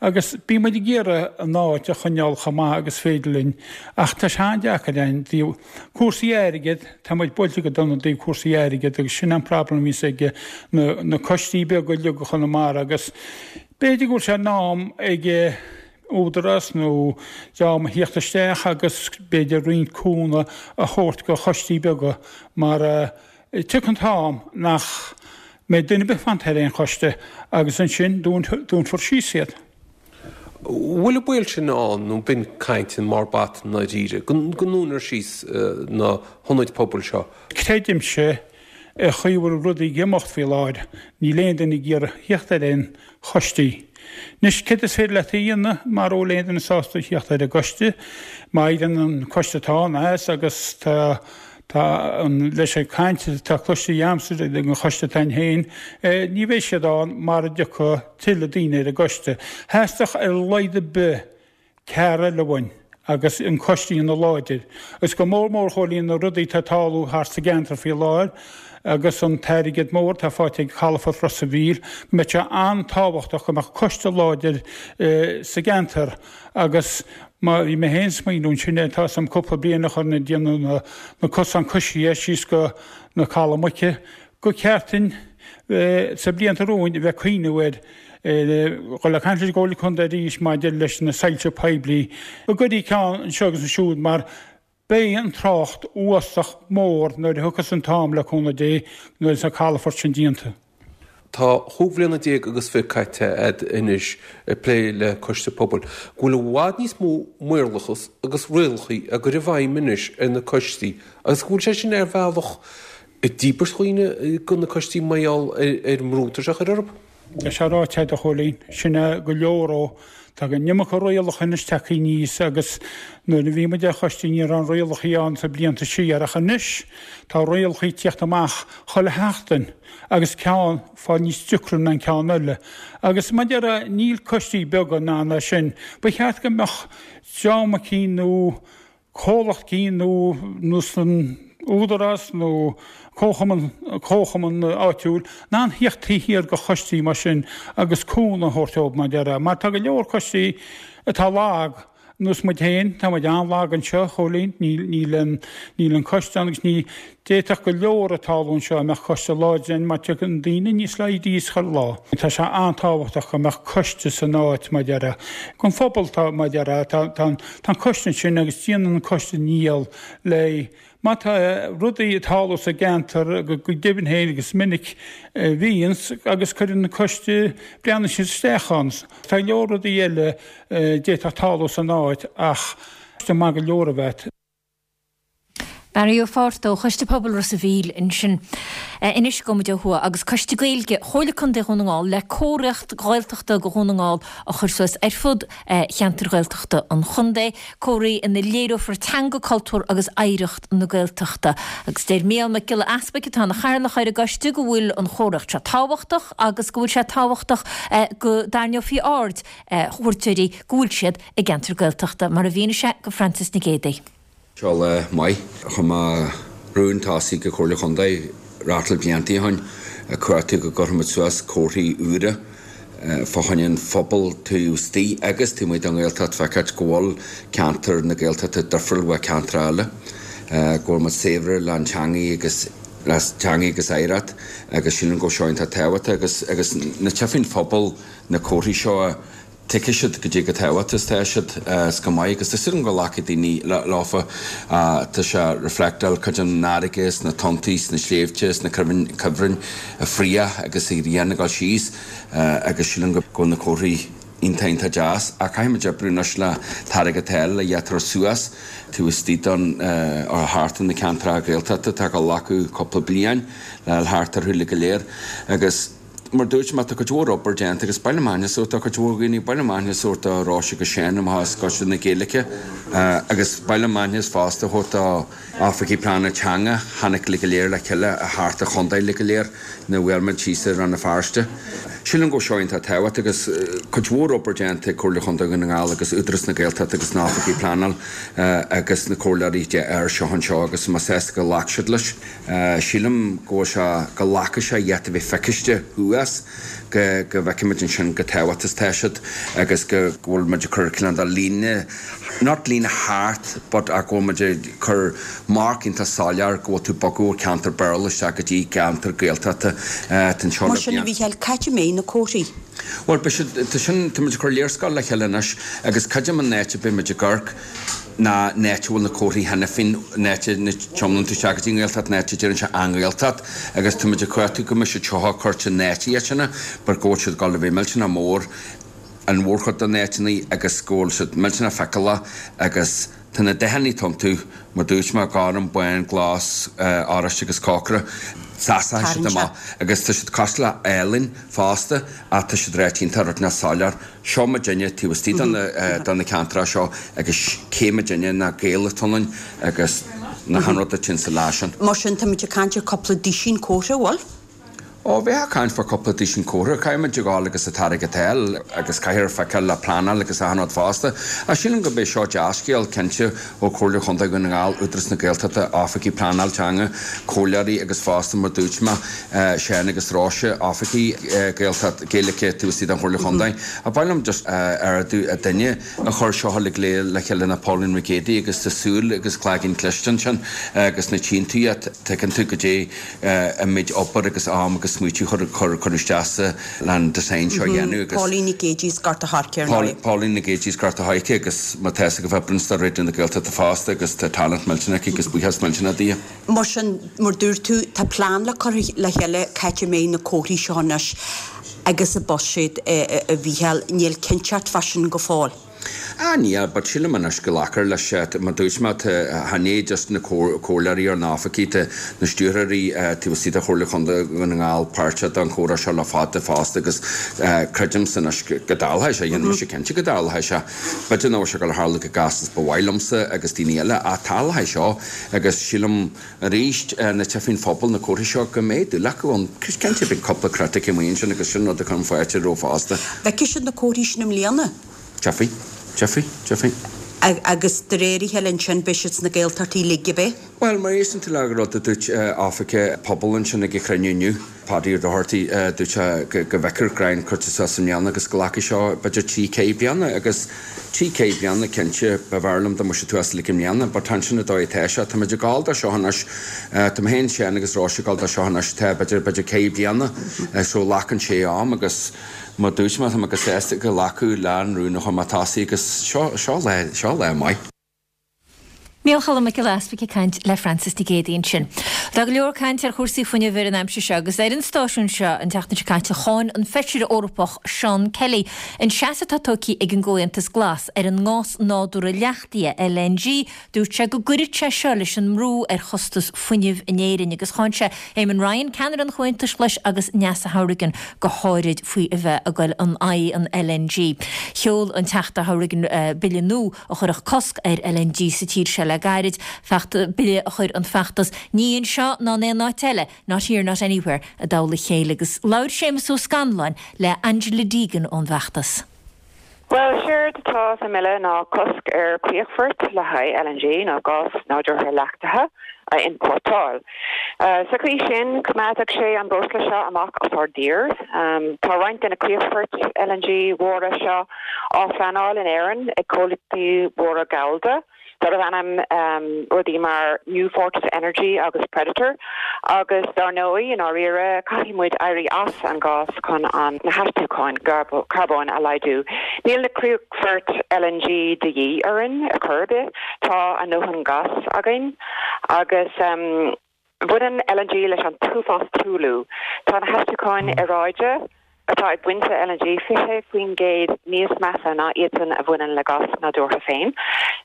S12: agus bíonn muid ag iarraidh an áit a choinneáil chomh maith agus féidir linn ach tá sé an-deacair againn i dtaobh cúrsaí airgid, tá muid buailte go dona i dtaobh cúrsaí airgid agus sin an problem a bhíonns ag na coistí beaga uilig i Chonamara agus b'fhéidir go bhfuil sé in am ag údarás nó dream a thíocht isteach agus b'fhéidir roinnt cúnamh a thabhairt go choistí beaga mar tiocfaidh an t-am nach mbeidh duine ar bith fanta ar aon choiste agus ansin dúnfar síos iad.
S13: Bhfuil an baol sin ann nó b'in caint i mbarr bata i ndáiríre, go ndúnfar síos na hionaid pobail seo?
S12: Creidimse an chaoi a bhfuil rudaí ag imeacht faoi láthair, níl aon duine ag iarraidh thíocht ar aon choistí. Anois, céard is féidir leat a dhéanamh mara bhfuil aon duine sásta thíocht ar an gcoiste? Má éiríonn an coiste atá ann as agus tá tá an leis an gcaint atá cloiste agamsa ag an choiste atá ann féin, ní bheidh siad ann mara dtiocfaidh tuilleadh daoine ar an gcoiste. Theastódh ar a laghad ar bith ceathrar eile uainn agus an coiste a dhéanamh láidir. Agus go mór mór a Chóilín na rudaí atá ag tarlú thart sa gceantar faoi láthair agus an t-airgead mór atá faighte ag Calafort Ros a' Mhíl, go mbeadh sé an-tábhachtach go mbeadh coiste láidir sa gceantar agus má bhí mé féin ag smaoineamh ansin ar tá 's agam cúpla bliain a chur ag déanamh na cosán coisithe síos go na Caladh Muice, Gur cheart duinn sa blianta romhainn a bheith ag cuimhneamh ar dhul ag caint leis an gComhairle Contae arís maidir leis na soilse poiblí, go gcuirfí ceann anseo agus ansiúd mar beidh an trácht uafásach mór nuair a thiocfas an t-am le cúnamh Dé nuair atá an calafort sin déanta.
S13: Tá chúig bhliana déag agus fiche caite a'd anois ag plé le coiste pobail. Go bhfuil i bhfad níos mó maorlathas agus rialacha á gcur i bhfeidhm anois ar na coistí agus go bhfuil sé sin ar bhealach Ag díbirt dhaoine go na coistí mar gheall ar an mbrú atá sé a chur orthu.
S12: Tá sé ráite agat a Chóilín. Sin é go leor ó. Tá an iomarca rialacha anois tagtha aníos agus nuair a bhí muid ar choiste ní raibh na rialacha ann sa blianta siar ach anois tá rialacha ag tíocht amach chuile sheachtain agus ceann fáil níos deacra ná an ceann eile. Agus mar a déarfá níl coistí beaga in ann é sin. Ba cheart go mbeadh dream eicínt nó comhlacht eicínt nó nós an Údarás nó comhchumann comhchumann áitiúil in ann thíocht taobh thiar de choistí mar sin agus cúnamh a thabhairt dóibh mar a déarfá mar tá go leor coistí atá lag nós muid féin tá muid an-lag anseo a Chóilín níl níl an níl an coiste ann agus ní D'fhéadfadh go leor a tarlú anseo dá mbeadh coiste láidir ann mar tagann daoine níos laghdaí chuile lá. Tá sé an-tábhachtach go mbeadh coiste san áit mar a déarfá. Don phobal tá mar a déarfá tá tá an coiste ansin agus déanann an coiste a ndícheall le má tá rudaí ag tarlú sa gceantar go deimhin féin agus minic a bhíonns agus cuireann an coiste breathnaíonn siad isteach ann. Tá go leor rudaí eile a d'fhéadfadh tarlú san áit ach coiste maith go leor a bheith.
S1: Barry Ó Fátharta ó Choiste Pobail Ros a' Mhíl ansin. Anois gabhfaidh muid ó thuaidh agus Coiste Gaeilge Chomhairle Contae Dhún na nGall le comharthaíocht Ghaeltachta do Dhún na nGall a chur suas ar fud cheantair Ghaeltachta an chontae, comharthaí ina léireofar teanga, cultúr agus oidhreacht na Gaeltachta. Agus deir Mícheál Mac Giolla Easpaig atá ina chathaoirleach ar an gcoiste go bhfuil an chomharthaíocht seo tábhachtach agus go bhfuil sé tábhachtach go dtarraingeofaí aird chuairteoirí go bhfuil siad i gceantar Gaeltachta, mar a mhínigh sé go Frances Nic Géadaigh.
S14: Seo lá maith. Chuir mé rún tosaigh go Comhairle Chontae rátáil blianta ó shin ag cuartú go gcuirfimid suas comharthaí úra fá choinne an phobal taobh istigh agus taobh amuigh den Ghaeltacht feiceáilt go bhfuil ceantar na Gaeltachta difriúil ó cheantar eile, go bhfuil muid saibhir le an teangaidh agus le teangaidh agus oidhreacht agus sílim go bhfuil seo iontach tábhachtach agus agus nuair a tchífidh an phobal na comharthaí seo tuigfidh siad goidé chomh tábhachtach is atá siad is go maith agus tá súil agam go nglacfaidh daoine leofa. Tá sé reflectáil cuid den fharraige is na tonntaí is na sléibhte is na cuibhrinn ag fraoch agus an ghrian ag dul síos agus sílim go bhfuil na comharthaí iontach iontach deas ach caithfidh muid oibriú anois le t-airgead a fháil le iad a chur suas taobh istigh don thart ar na ceantracha Gaeltachta atá ag glacadh cúpla bliain le fháil thart orthu uilig go léir agus Mar dúirt mé, tá cuid mhór obair déanta agus ba mhaith liom aithne a thabhairt do chuid mhór dhaoine, ba mhaith liom aithne a thabhairt do Róise agus Seán amach as Coiste na Gaeilge agus ba mhaith liom aithne fosta a thabhairt do Oifigigh Pleanála Teanga, tháinig uilig go léir le chéile thart an chontae uilig go léir nuair a bhuail muid síos i Rann na Feirste. Sílim go bhfuil seo iontach tábhachtach agus cuid mhór obair déanta ag Comhairle Chontae Dhún na nGall agus Údarás na Gaeltachta agus na Oifigigh Pleanála agus na Comhairleoirí air seo anseo agus tá mé sásta go ghlac siad leis. Sílim go bhfuil sé, go nglacfaidh sé iad a bheith feiciste thuas, go, go bhfeicfimid ansin chomh tábhachtach is atá siad agus go, go bhfuil muid ag cur cineál de líne, not líne thart but ach go bhfuil muid ag cur marc iontach soiléir go bhfuil tú ag bogadh ó cheantar Béarla isteach go dtí ceantar Gaeltachta. Tá anseo
S15: Mar
S14: le
S15: sin, a
S14: blianta.
S15: Mhícheáil, cá háit a mbeidh na comharthaí?
S14: Bhuel, beidh siad, tá sin, tá muid ag cur léarscáil le chéile anois agus creidim an áit a beidh muid ag amharc, ná an áit a bhfuil na comharthaí cheana féin, an áit a dtiománann tú isteach go dtí an Ghaeltacht, an áit a deireann sé An Ghaeltacht agus tá muid ag cuartú go mbeidh siad seo curtha in áiteanna but go bhfuil siad ag dul a bheith millteanach mór an mhórchuid de na áiteanna agus go bhfuil siad millteanach feiceálach agus tá na dathanna iontu mar dúirt mé, gorm, bán, glas, oráiste agus corcra, seasfaidh siad amach agus tá siad cosúil le ealaín fosta ach tá siad ráite iontach rud soiléir. Seo muidinne taobh istigh de na ceantracha seo agus cé muidinne ná Gaeil atá ionainn agus na han rud a tinn sa lá sin.
S15: Mar sin, táimid ag caint ar cúpla duisín comhartha, an bhfuil?
S14: Ó, bheifeá ag caint fá cúpla duisín comhartha. Caithfidh muid a ghabháil agus an t-airgead a fháil agus caithfear feiceáil le pleanáil agus achan rud fosta. Ach sílim go mbeidh seo dea-scéal, cinnte, ó Chomhairle Chontae Dhún na nGall, Údarás na Gaeltachta, Oifigigh Pleanáil Teanga, Comhairleoirí agus fosta, mar dúirt mé, Seán agus Róise, Oifigigh Gaeltacht, Gaeilge taobh istigh den Chomhairle Chontae. Ach ba mhaith liom just ardú an duine a chuir seo uilig le chéile ná Pauline Nic Géadaigh agus tá súil agus cloigeann cliste ansin agus nuair a tchíonn tú iad tuigeann tú goidé an méid obair agus am agus smaoitiú a chur cuireadh isteach sa le an design seo a dhéanamh agus.
S15: Pauline Nic Géadaigh as Gort a' Choirce ar ndóigh.
S14: Pauline Nic Géadaigh as Gort a' Choirce agus má tá fhios agaibh oibríonn sí do Raidió na Gaeltachta fosta agus tá talent millteanach aici agus buíochas millteanach di.
S15: Mar sin, mar dúirt tú, tá plean le cur le chéile cá háit a mbeidh na comharthaí seo anois agus an buiséad, a Mhícheáil, níl cinnteacht fá sin go fóill.
S14: Ah níl, but sílim anois go nglacfar leis, mar dúirt mé, tá, chan é just na comhairleoirí ar na oifigigh, tá na stiúrthóirí taobh istigh de Chomhairle Chontae Dhún na nGall páirteach don chomhrá seo le fada fosta agus creidimse anois go dtarlóidh sé, dhéanfaidh mise cinnte go dtarlóidh sé. B'fhéidir nach bhfuil sé ag dul a tharlú chomh gasta is ba mhaith liomsa agus daoine eile ach tarlóidh seo agus sílim arís nuair a tchífidh an phobal na comharthaí seo go mbeidh dúil acu ann. Cinnte beidh cúpla critic amuigh ansin agus sin rud a chuirim fáilte roimh fosta.
S15: Feicfidh siad na comharthaí sin i mbliana?
S14: Tchífidh. Tchífidh. Tchífidh.
S15: Agus de réir a chéile ansin beidh siad sna Gaeltachtaí uilig, ab é?
S14: Bhuel, má éisteann tú le rud a dúirt oifigeach pobail ansin ag an chruinniú inniu, Paddy Ó Dochartaigh, dúirt sé go bhfeicfear greim curtha suas i mbliana agus go nglacfaidh seo b'fhéidir trí, ceithre bliana agus trí, ceithre bliana cinnte b'fhearr liom dá mbeadh sé suas uilig i mbliana but ansin an dóigh atá sé, tá muid ag gabháil dó seo anois, tá mé féin, Seán agus Róise ag gabháil dó seo anois tá b'fhéidir, b'fhéidir ceithre bliana so glacann sé am agus mar dúirt mé tá mé go sásta go nglacadh le an rún a chuir mé tosaigh agus seo, seo lá, seo lá maith.
S1: Micheál Choilm Mac Giolla Easpaig ag caint le Frances Nic Géadaigh ansin. Tá go leor cainte ar chúrsaí fuinnimh ar an aimsir seo agus ar an stáisiún seo an tseachtain seo caite cháin an Feisire Eorpach Seán Kelly an seasamh atá tógtha ag an gComhaontas Glas ar an ngás nádúrtha leachtaithe, LNG. Dúirt sé go gcuirfeadh sé seo leis an mbrú ar chostas fuinnimh in Éirinn agus cháin sé Eamon Ryan, ceannaire an Chomhaontais Ghlais agus Neasa Hourigan go háirid faoi a bheith ag goil in aghaidh an LNG. Sheol an Teachta Hourigan bille nua a chuirfeadh cosc ar LNG sa tír seo le gairid, bille a chuir an feachtas 'Ní anseo ná in aon áit eile, Not here, not anywhere' i dtoll a chéile agus labhair Séamus Ó Scanláin le Angela Deegan ón bhfeachtas.
S16: Bhuel, séard atá sa mbille ná cosc ar chríochfoirt le haghaidh LNG, nó gás nádúrtha leachtaithe, a iompórtáil. Sa chaoi sin, coimeádfadh sé an breosla seo amach as ár dtír. Tá roinnt de na críochfoirt LNG mhóra seo á phleanáil in Éirinn ag comhlachtaí móra gallda. darbh ainm rudaí mar New Fortress Energy agus Predator agus dar ndóigh, i ndáiríre, caithfidh muid éirí as an gás chun an na hastucháin carbóin a laghdú. Níl na críochfoirt LNG de dhíth orainn ar chor ar bith, tá a ndóthain gás againn agus. Baineann LNG leis an t-uafás truailliú. Tá na hastucháin aeráide atá ag baint le LNG 20% níos measa ná iadsan a bhaineann le gás nádúrtha féin.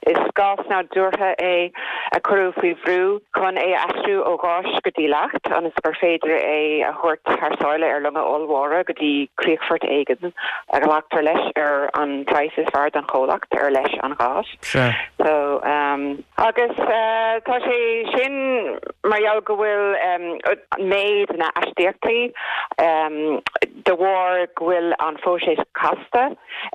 S16: Is gás nádúrtha é a cuireadh faoi bhrú chun é a aistriú ó gháis go dtí leacht ionas gur féidir é a thabhairt thar sáile ar longa ollmhóra go dtí críochfort éigin a ghlactar leis ar an praghas is fearr don chomhlacht ar leis an ghás. So. Agus tá sé sin mar gheall go bhfuil méid na n-astaíochtaí de bharr go bhfuil an phróiseas casta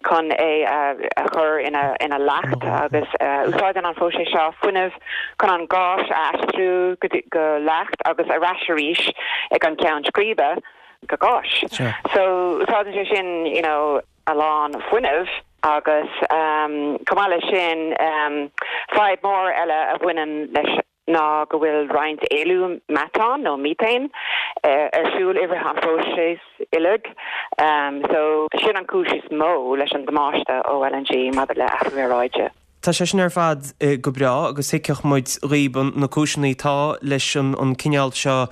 S16: chun é a chur ina leacht agus úsáideann an phróiseas seo fuinneamh chun an gás a aistriú go leacht agus ar ais arís ag an gceann scríbe go gás. So úsáideann sé sin you know a lán fuinnimh agus chomh maith leis sin fadhb mór eile a bhaineann leis ná go bhfuil roinnt éilliú meatáin nó methane ar siúl i rith an phróisis uilig so sin an cúis is mó leis an damáiste ó LNG maidir le athrú aeráide.
S17: Tá sé sin ar fad go breá agus thuigfeadh muid dhaoib na cúiseanna atá leis an cineál seo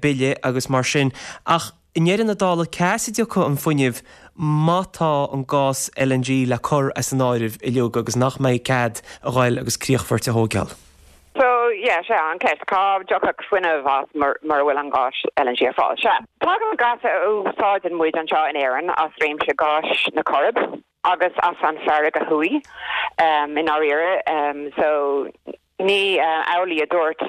S17: bille agus mar sin ach I ndeireadh na dála, cá as a dtiocfaidh an fuinneamh má tá an gás LNG le cur as an áireamh uilig agus nach mbeidh cead a ghoil agus críochfoirt a thóigeáil?
S16: So, yeah, sea, an ceist, cá dtiocfadh fuinneamh as mura bhfuil an gás LNG ar fáil? Sea, tagann an gás a úsáideann muid anseo in Éirinn as réimse gáis na Coiribe agus as an Farraige Thuaidh, i ndáiríre. So, Ní amhlaidh a dúirt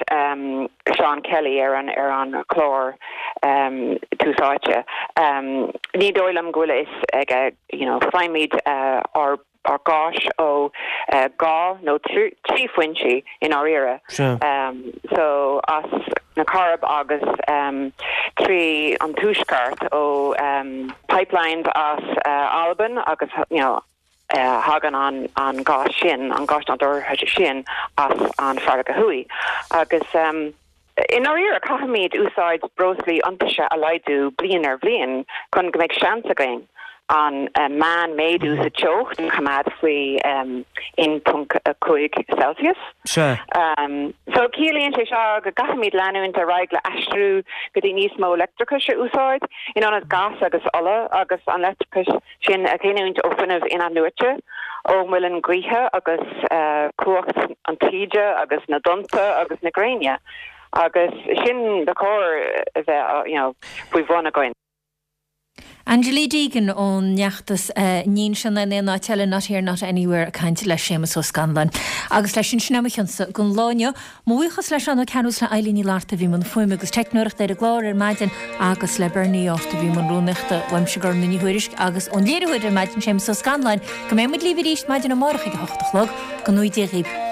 S16: Seán Kelly ar an ar an chlár Tús Áite. Ní dóigh liom go bhfuil a fhios aige, you know, faighimid ár ár gás ó dhá nó trí foinsí i ndáiríre. So as na Coirib agus trí an Tuaisceart ó pipelines as Albain agus you know, Tagann an gás sin, an gás nádúrtha sin, as an Farraige Thuaidh. Agus i ndáiríre, caithfimid úsáid breoslaí iontaise a laghdú bliain ar bhliain chun go mbeidh seans againn an meán-méadú sa teocht a choimeád faoi 1.5 Celsius. So ciallaíonn sé seo go gcaithfimid leanúint ar aghaidh le aistriú go dtí níos mó leictreachais a úsáid in ionad gás agus ola agus an leictreachas sin a ghiniúint ó fuinneamh in-athnuaite, ó mhuileann gaoithe agus cumhacht an taoide agus na dtonnta agus na gréine agus sin ba chóir a bheith you know faoi bhun againn.
S1: Angela Deegan ón bhfeachtas Ní Anseo Ná in Aon Áit Eile, Not Here Not Anywhere ag caint le Séamus Ó Scanláin. Agus leis sin, sin é mo chionsa don lá inniu. Mo bhuíochas le Seán Ó Cearúil is le Eilín Ní Fhlatharta a bhí i mbun fuaime agus teicneoireachta ar an gclár ar maidin agus le Bernie Arthur a bhí i mbun rúnaíochta. Uaimse Gormfhlaith Ní Thuairisg agus ón léiritheoir ar maidin Séamus Ó Scanláin go mbeidh muid libh arís maidin amárach ag a hocht a chlog. Go ngnóthaí Dia dhaoibh.